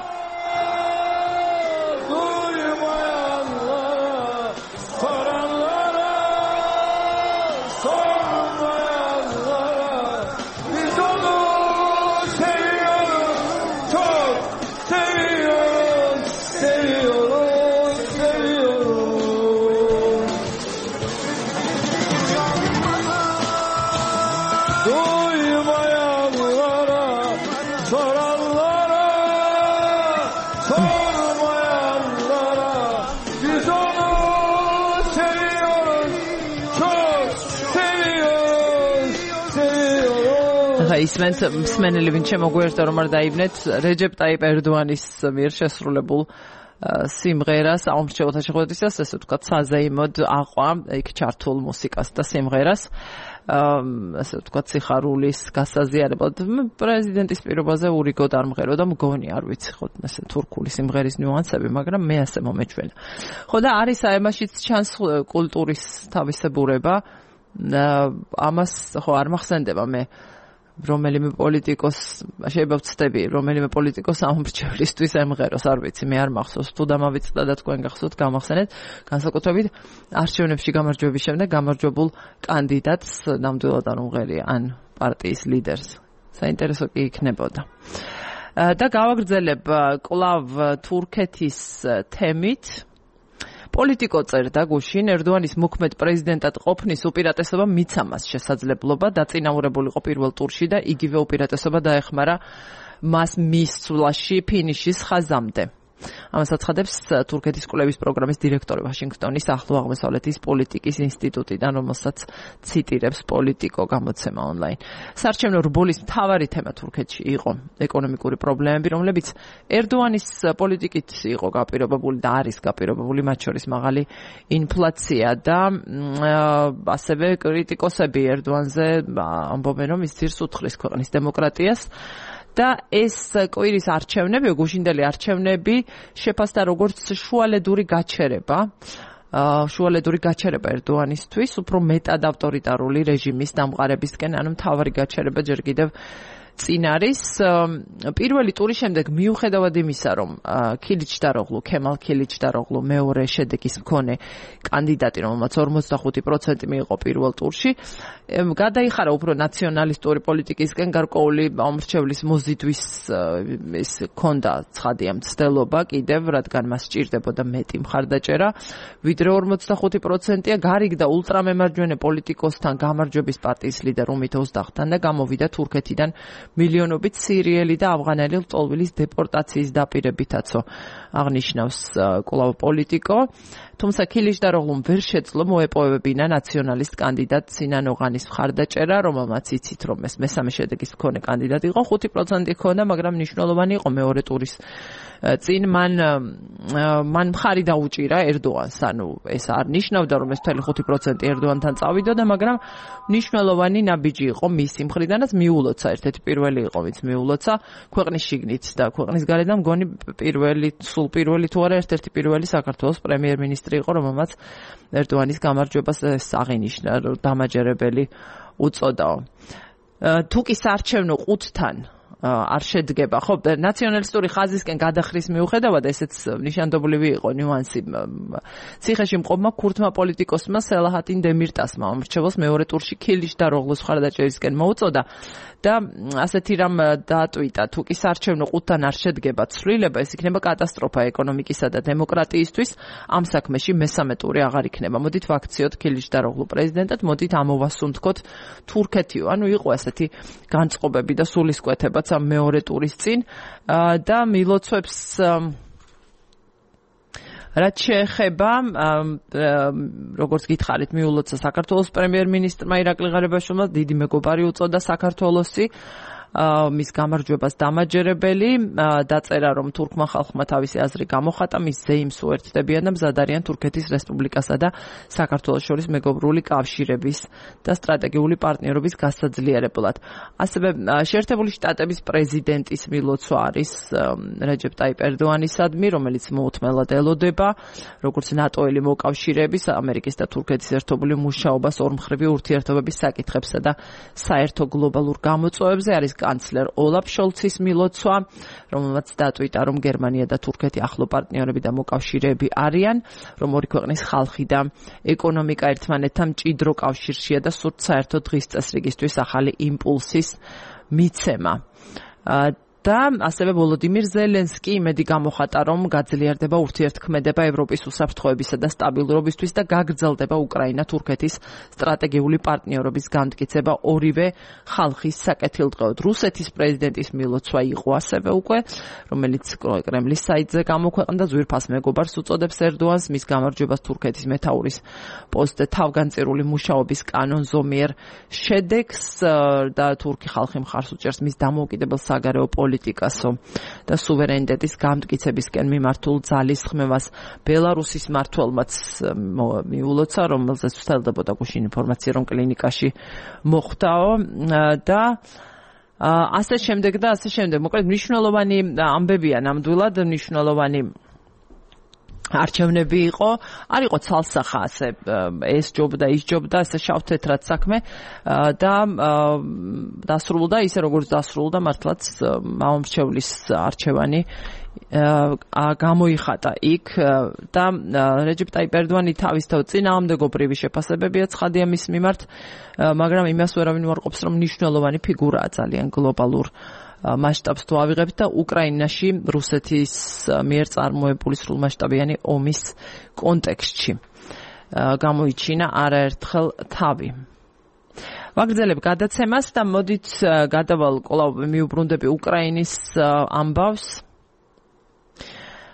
ახლა ისმენთ მსმენელი ვინც შემოგვიერთდა რომ არ დაიბნეთ რეჯეპ ტაიპ ერდოანის მიერ შესრულებულ სიმღერას აუმრჩეველთა შეხვედრისას ესე ვთქვათ საზეიმოდ აყვა იქ ჩართულ მუსიკას და სიმღერას ასე ვთქვათ სიხარულის გასაზიარებლად პრეზიდენტის პირობაზე ურიგოდ არ მღერო და მგონი არ ვიცი ხო ესე თურქული სიმღერის ნიუანსები მაგრამ მე ასე მომეჩვენა ხო და არის აემაშიც ჩანს კულტურის თავისებურება ამას ხო არ მახსენდება მე რომელიმე პოლიტიკოს შეიძლება ვცდები რომელიმე პოლიტიკოს ამორჩევლისთვის ემღეროს არ ვიცი მე არ მახსოვს თუ დამავიწყდა და თქვენ გახსოვთ გამახსენეთ განსაკუთრებით არჩევნებში გამარჯვების შემდეგ გამარჯვებულ კანდიდატს ნამდვილად არ უმღერია ან პარტიის ლიდერს საინტერესო კი იქნებოდა და გავაგრძელებ კლავ თურქეთის თემით პოლიტიკო წერდა გუშინ ერდოანის მოქმედ პრეზიდენტად ყოფნის უპირატესობა მიცა მას შესაძლებლობა დაწინაურებულიყო პირველ ტურში და იგივე უპირატესობა დაეხმარა მას მისვლაში ფინიშის ხაზამდე. ამას აცხადებს თურქეთის კვლევის პროგრამის დირექტორი ვაშინგტონის ახლო აღმოსავლეთის პოლიტიკის ინსტიტუტიდან, რომელსაც ციტირებს პოლიტიკო გამოცემა ონლაინ. საარჩევნო რბოლის მთავარი თემა თურქეთში იყო ეკონომიკური პრობლემები, რომლებიც ერდოანის პოლიტიკით იყო გაპირობებული და არის გაპირობებული, მათ შორის მაღალი ინფლაცია და ასევე კრიტიკოსები ერდოანზე ამბობენ, რომ ის ძირს უთხრის ქვეყნის დემოკრატიას. და ეს კვირის არჩევნები, გუშინდელი არჩევნები შეფასდა როგორც შუალედური გაჩერება ერდოანისთვის, უფრო მეტად ავტორიტარული რეჟიმის დამყარებისკენ, ანუ მთავარი გაჩერება ჯერ კიდევ წინ არის. პირველი ტურის შემდეგ მიუხედავად იმისა, რომ ქემალ ქილიჩდაროღლუ მეორე შედეგის მქონე კანდიდატი, რომელმაც 45% მიიღო პირველ ტურში, გადაიხარა უფრო ნაციონალისტური პოლიტიკისკენ გარკვეული ამორჩევლის მოზიდვის ის ქონდა ცხადია მცდელობა კიდევ, რადგან მას სჭირდებოდა მეტი მხარდაჭერა, ვიდრე 45%-ია გარიგ და ულტრამემარჯვენე პოლიტიკოსთან გამარჯვების პარტიის ლიდერ უმით ოზდაღთან და გამოვიდა თურქეთიდან მილიონობით სირიელი და ავღანელი ლტოლვილის დეპორტაციის დაპირებითაცო აღნიშნავს კვლავ პოლიტიკო. თუმცა ქილიჩდაროღლუმ ვერ შეძლო მოეპოვებინა ნაციონალისტ კანდიდატ სინან ოღანის მხარდაჭერა, რომელმაც იცით რომ ეს მესამე შედეგის მქონე კანდიდატი იყო, 5% ჰქონდა, მაგრამ მნიშვნელოვანი იყო მეორე ტურის წინ მან მხარი დაუჭირა ერდოანს, ანუ ეს არ ნიშნავდა რომ ეს მთელი 5% ერდოანთან წავიდოდა, მაგრამ მნიშვნელოვანი ნაბიჯი იყო მისი მხრიდანაც მიულოცა, ერთ-ერთი პირველი იყო ვინც მიულოცა ქვეყნის შიგნით და ქვეყნის გარედან მგონი პირველი თუ არა ერთ-ერთი პირველი საქართველოს პრემიერ-მინისტრი იყო, რომელმაც ერდოანის გამარჯვებას აღინიშნა, დამაჯერებელი უწოდაო. თუკი საარჩევნო ყუთთან არ შედგება, ხო, ნაციონალისტური ხაზისკენ გადახრის მიუხედავად, ესეც ნიშანდობლივი იყო ნიუანსი. ციხეში მყოფმა ქურთმა პოლიტიკოსმა სელაჰატინ დემირტასმა ამორჩეველს მეორე ტურში ქილიჩდაროღლუს მხარდაჭერისკენ მოუწოდა და ასეთი რამ დაატვიტა, თუკი საარჩევნო ყუთთან არ შედგება ცვლილება, ეს იქნება კატასტროფა ეკონომიკისა და დემოკრატიისთვის, ამ საქმეში მესამე ტური აღარ იქნება. მოდით ვაქციოთ ქილიჩდაროღლუ პრეზიდენტად, მოდით ამოვასუნთქოთ თურქეთიო. ანუ იყო ასეთი განწყობები და სულისკვეთებაც ამ მეორე ტურის წინ და მილოცვებს რაც შეეხება როგორც გითხარით მიულოცა საქართველოს პრემიერ-მინისტრმა ირაკლი ღარიბაშვილმა დიდი მეგობარი უწოდა საქართველოსი მის გამარჯვებას დამაჯერებელი დაწერა რომ თურქმა ხალხმა თავისი აზრი გამოხატა მის ზეიმს უერთდებიან და მზად არიან თურქეთის რესპუბლიკასა და საქართველოს შორის მეგობრული კავშირების და სტრატეგიული პარტნიორობის გასაძლიერებლად. ასევე შეერთებული შტატების პრეზიდენტის მილოცვა არის რეჯეპ ტაიპ ერდოანისადმი, რომელიც მოუთმელად ელოდება როგორც ნატოელი მოკავშირეების ამერიკის და თურქეთის ერთობლივ მუშაობას ორმხრივი ურთიერთობების საკითხებსა და საერთო გლობალურ გამოწვევებზე არის კანცლერ ოლაფ შოლცის მილოცვა, რომელმაც დატვიტა, რომ გერმანია და თურქეთი ახლო პარტნიორები და მოკავშირეები არიან, რომ ორი ქვეყნის ხალხი და ეკონომიკა ერთმანეთთან მჭიდრო კავშირშია და სურთ საერთო დღის წესრიგისთვის ახალი იმპულსის მიცემა. და ასევე ვოლოდიმირ ზელენსკი იმედი გამოხატა, რომ გაძლიერდება ურთიერთქმედება ევროპის უსაფრთხოებისა და სტაბილურობისთვის და გაგრძელდება უკრაინა-თურქეთის სტრატეგიული პარტნიორობის განმტკიცება ორივე ხალხის საკეთილდღეოდ. რუსეთის პრეზიდენტის მილოცვა იყო ასევე უკვე, რომელიც კრემლის საიტზე გამოქვეყნდა, ძვირფას მეგობარს უწოდებს ერდოანს, მის გამარჯვებას თურქეთის მეთაურის პოსტზე თავგანწირული მუშაობის კანონზომიერ შედეგს და თურქი ხალხი მხარს უჭერს მის დამოუკიდებელ საგარეო პოლიტიკასო და სუვერენიტეტის გამტკიცებისკენ მიმართულ ძალისხმევას. ბელარუსის მმართველმაც მიულოცა, რომელზეც ვრცელდებოდა გუშინ ინფორმაცია, რომ კლინიკაში მოხვდაო და ასე შემდეგ. მოკლედ მნიშვნელოვანი ამბებია ნამდვილად, მნიშვნელოვანი არჩევნები იყო, არ იყო ცალსახა ასე ეს ჯობდა, ის ჯობდა, ასე შავ-თეთრად საქმე და დასრულდა ისე როგორც დასრულდა, მართლაც მამამრჩევლის არჩევანი გამოიხატა იქ და რეჯეპ ტაიპ ერდოანი თავისთავად წინააღმდეგობრივი შეფასებებია ცხადია მის მიმართ, მაგრამ იმას ვერავინ უარყოფს, რომ მნიშვნელოვანი ფიგურაა ძალიან გლობალურ მასშტაბს თუ ავიღებთ და უკრაინაში რუსეთის მიერ წარმოებული სრულმასშტაბიანი ომის კონტექსტში გამოიჩინა არაერთხელ თავი. ვაგრძელებ გადაცემას და მოდით გადავალ კვლავ მიუბრუნდები უკრაინის ამბავს.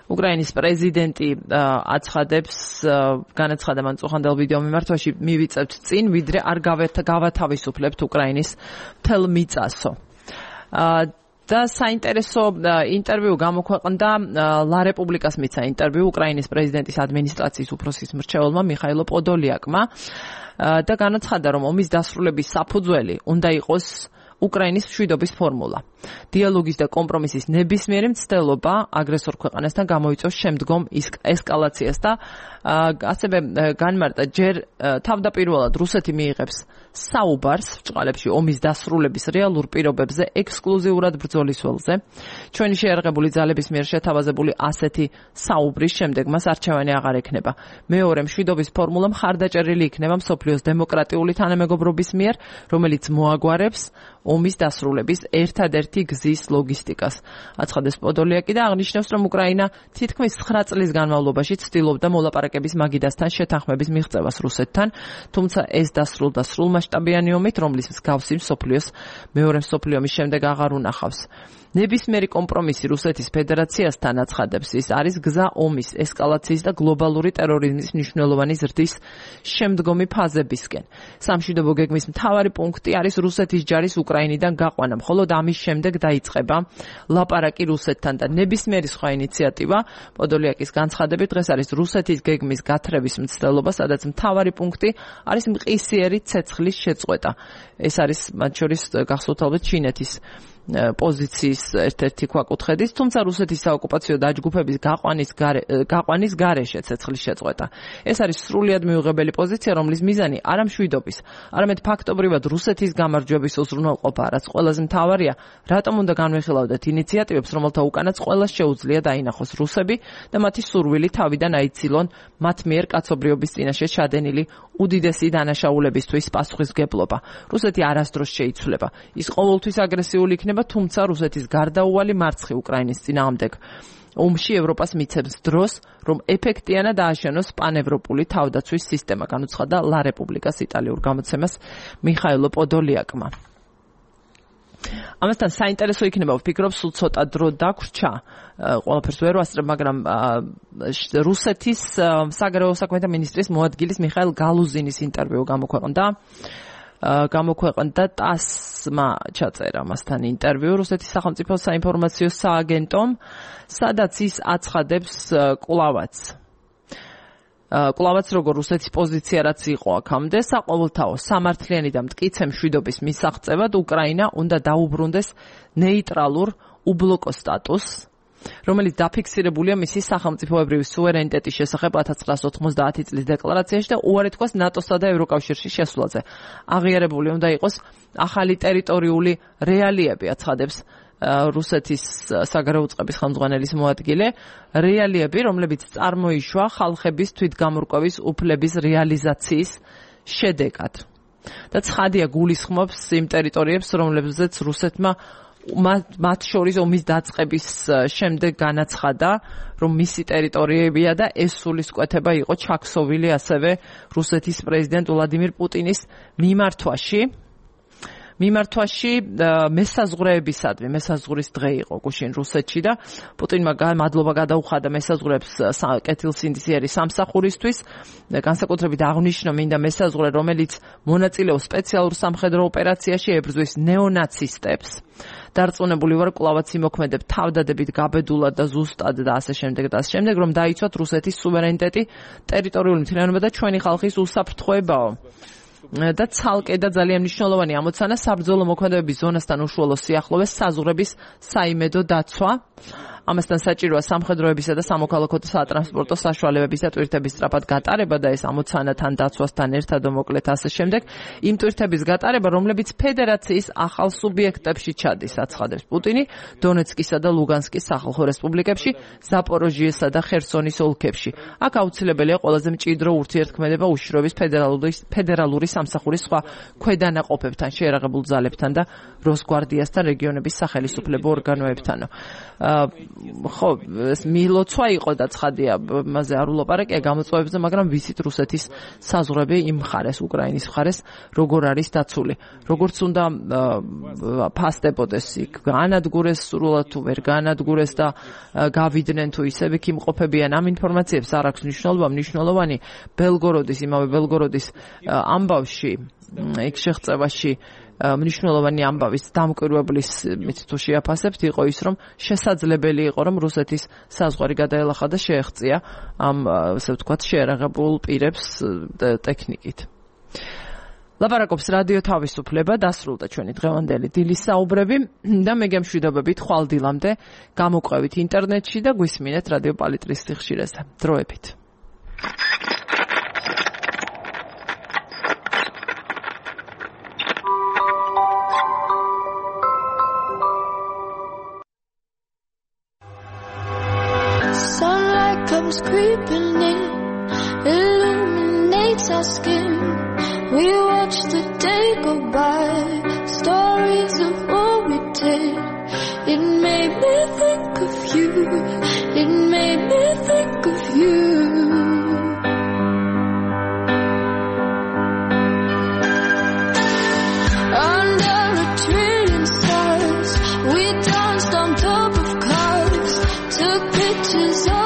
უკრაინის პრეზიდენტი აცხადებს, განაცხადა მან წუხანდელ ვიდეო მიმართვაში, მივიწევთ წინ, ვიდრე არ გავათავისუფლებთ უკრაინის მთელ მიწასო. და საინტერესო ინტერვიუ გამოქვეყნდა ლა რეპუბლიკას მიცა ინტერვიუ უკრაინის პრეზიდენტის ადმინისტრაციის უფროსის მრჩეველმა მიხაილო პოდოლიაკმა და განაცხადა, რომ ომის დასრულების საფუძველი უნდა იყოს უკრაინის მშვიდობის ფორმულა. დიალოგის და კომპრომისის ნებისმიერი მცდელობა აგრესორ ქვეყანასთან გამოიწვევს შემდგომ ესკალაციას და ასევე განმარტა, ჯერ თავდაპირველად რუსეთი მიიღებს საუბარს ბრჭყალებში ომის დასრულების რეალურ პირობებზე ექსკლუზიურად ბრძოლის ველზე. ჩვენი შეერაღებული ძალების მიერ შეთავაზებული ასეთი საუბრის შემდეგ მას არჩევანი აღარ ექნება. მეორე მშვიდობის ფორმულა მხარდაჭერილი იქნება მსოფლიოს დემოკრატიული თანამეგობრობის მიერ, რომელიც მოაგვარებს ომის დასრულების ერთადერთი გზის ლოგისტიკას. აცხადეს პოდოლიაკი და აღნიშნავს, რომ უკრაინა თითქმის 9 წლის განმავლობაში ცდილობდა მოლაპარაკების მაგიდასთან შეთანხმების მიღწევას რუსეთთან, თუმცა ეს დასრულდა სრულმასშტაბიანი ომით, რომლის მსგავსი მსოფლიოს მეორე მსოფლიო ომის შემდეგ აღარ უნახავს. ნებისმიერი კომპრომისი რუსეთის ფედერაციასთან აცხადებს, ის არის გზა ომის, ესკალაციის და გლობალური ტერორიზმის მნიშვნელოვანი ზრდის შემდგომი ფაზებისკენ. სამშვიდობო გეგმის მთავარი პუნქტი არის რუსეთის ჯარის უკრაინიდან გაყვანა, მხოლოდ ამის შემდეგ დაიწყება ლაპარაკი რუსეთთან და ნებისმიერი სხვა ინიციატივა, პოდოლიაკის განცხადებით, დღეს არის რუსეთის გეგმის გათრევის მცდელობა, სადაც მთავარი პუნქტი არის მყისიერი ცეცხლის შეწყვეტა. ეს არის მათ შორის გახსოვთ ალბათ ჩინეთის პოზიციის ერთ-ერთი ქვაკუთხედის, თუმცა რუსეთის საოკუპაციო დაჯგუფების გაყვანის გარეშე ცეცხლის შეწყვეტა. ეს არის სრულიად მიუღებელი პოზიცია, რომლის მიზანი არა მშვიდობის, არამედ ფაქტობრივად რუსეთის გამარჯვების უზრუნველყოფა, რაც ყველაზე მთავარია, რატომ უნდა განვიხილავდეთ ინიციატივებს, რომელთა უკანაც ყველას შეუძლია დაინახოს რუსები და მათი სურვილი თავიდან აიცილონ მათ მიერ კაცობრიობის წინაშე ჩადენილი უდიდესი დანაშაულებისთვის პასუხისმგებლობა. რუსეთი არასდროს შეიცვლება. ის ყოველთვის აგრესიული იქნება, თუმცა რუსეთის გარდაუვალი მარცხი უკრაინის წინააღმდეგ ომში ევროპას მიცემს დროს, რომ ეფექტიანად დააშენოს პანევროპული თავდაცვის სისტემა, განუცხადა ლა რეპუბლიკას იტალიურ გამოცემას მიხაილო პოდოლიაკმა. ამასთან საინტერესო იქნება, ვფიქრობ, სულ ცოტა დრო დაგვრჩა, ყველაფერს ვერ ვასწრებ, მაგრამ რუსეთის საგარეო საქმეთა მინისტრის მოადგილის მიხაილ გალუზინის ინტერვიუ გამოქვეყნდა ტასმა ჩაწერა მასთან ინტერვიუ რუსეთის სახელმწიფო საინფორმაციო სააგენტომ, სადაც ის აცხადებს კვლავაც როგორ რუსეთის პოზიცია რაც იყო აქამდე, საყოველთაო სამართლიანი და მტკიცე მშვიდობის მისაღწევად უკრაინა უნდა დაუბრუნდეს ნეიტრალურ უბლოკო სტატუსს, რომელიც დაფიქსირებულია მისი სახელმწიფოებრივი სუვერენიტეტის შესახებ 1990 წლის დეკლარაციაში და უარი თქვას ნატოსა და ევროკავშირში შესვლაზე. აღიარებული უნდა იყოს ახალი ტერიტორიული რეალიები, აცხადებს რუსეთის საგარეო უწყების ხელმძღვანელის მოადგილე, რეალიები, რომლებიც წარმოიშვა ხალხების თვითგამორკვევის უფლების რეალიზაციის შედეგად. და ცხადია გულისხმობს იმ ტერიტორიებს, რომლებზეც რუსეთმა მათ შორის ომის დაწყების შემდეგ განაცხადა, რომ მისი ტერიტორიებია და ეს სულისკვეთება იყო ჩაქსოვილი ასევე რუსეთის პრეზიდენტ ვლადიმირ პუტინის მიმართვაში მესაზღვრეებისადმი, მესაზღვრის დღე იყო გუშინ რუსეთში და პუტინმა მადლობა გადაუხადა მესაზღვრეებს კეთილსინდისიერი სამსახურისთვის. განსაკუთრებით აღნიშნო მინდა მესაზღვრე, რომელიც მონაწილეობს სპეციალურ სამხედრო ოპერაციაში, ებრძვის ნეონაცისტებს. დარწმუნებული ვარ, კვლავაც იმოქმედებ თავდადებით გაბედულად და ზუსტად და ასე შემდეგ, რომ დაიცვათ რუსეთის სუვერენიტეტი, ტერიტორიული მთლიანობა და ჩვენი ხალხის უსაფრთხოებაო. და ცალკე და ძალიან მნიშვნელოვანი ამოცანა საბრძოლო მოქმედებების ზონასთან უშუალო სიახლოვეს საზღვრების საიმედო დაცვა. ამასთან საჭიროა სამხედროებისა და სამოქალაქო სატრანსპორტო საშუალებების და ტვირთების სწრაფად გატარება და ეს ამოცანა თან დაცვასთან ერთად მოკლედ ასე შემდეგ. იმ ტვირთების გატარება, რომლებიც ფედერაციის ახალ სუბიექტებში ჩადის, აცხადებს პუტინი, დონეცკისა და ლუგანსკის სახალხო რესპუბლიკებში, ზაპოროჟიესა და ხერსონის ოლქებში. აქ აუცილებელია ყველაზე მჭიდრო ურთიერთქმედება უშიშროების ფედერალური სამსახურის სხვა ქვედანაყოფებთან, შეერაღებულ ძალებთან და როსგვარდიასთან, რეგიონების სახელისუფლებო ორგანოებთან. ხო, ეს მილოცვა იყო და ცხადია, მასზე არ ულაპარაკია გამოწვევებზე, მაგრამ ვიცით რუსეთის საზღვრები იმ მხარეს, უკრაინის მხარეს, როგორ არის დაცული. როგორც უნდა ფასდებოდეს იქ, განადგურეს სრულად თუ ვერ განადგურეს და გავიდნენ თუ ისევ იქ იმყოფებიან, ამ ინფორმაციებს არ აქვს მნიშვნელობა. მნიშვნელოვანი იმავე ბელგოროდის ამბავში, იქ შეღწევაში მნიშვნელოვანი ამბავის დამკვირვებლის მით თუ შეაფასებთ იყო ის, რომ შესაძლებელი იყო, რომ რუსეთის საზღვარი გადაელახა და შეეღწია ამ ასე ვთქვათ შეერაღებულ პირებს ტექნიკით. ლაპარაკობს რადიო თავისუფლება, დასრულდა ჩვენი დღევანდელი დილის საუბრები და მე გემშვიდობებით ხვალ დილამდე გამოყვებით ინტერნეტში და გვისმინეთ რადიო პალიტრის სიხშირეზე. დროებით. Comes creeping in, illuminates our skin. We watch the day go by, stories of what we did. It made me think of you, it made me think of you. Under a trillion stars, we danced on top of cars, took pictures of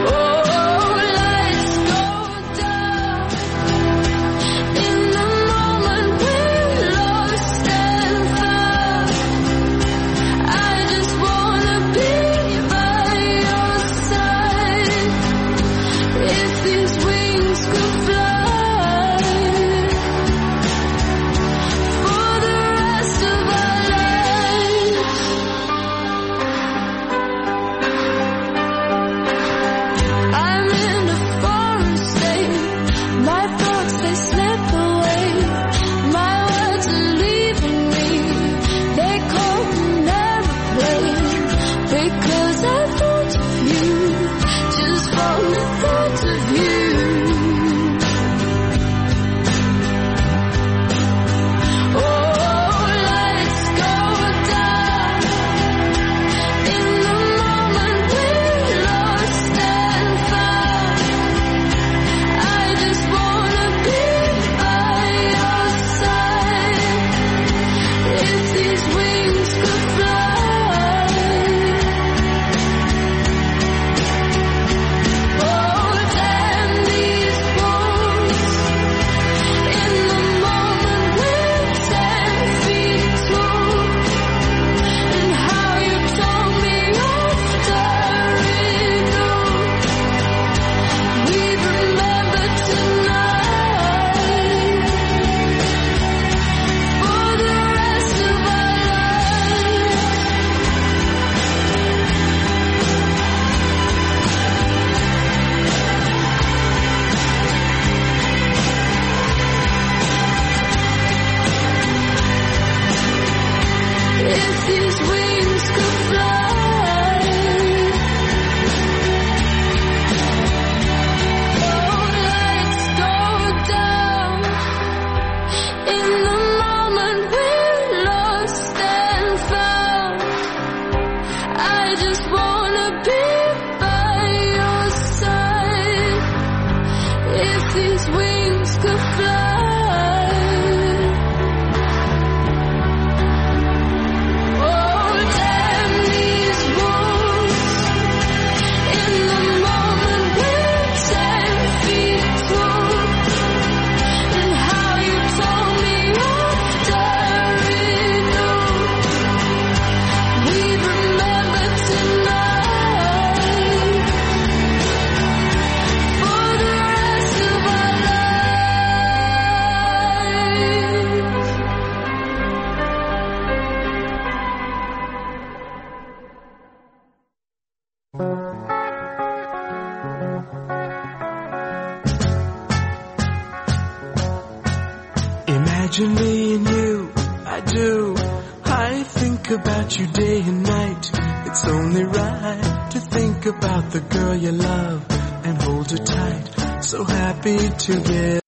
Oh Imagine me and you, I do. I think about you day and night. It's only right to think about the girl you love and hold her tight. So happy together.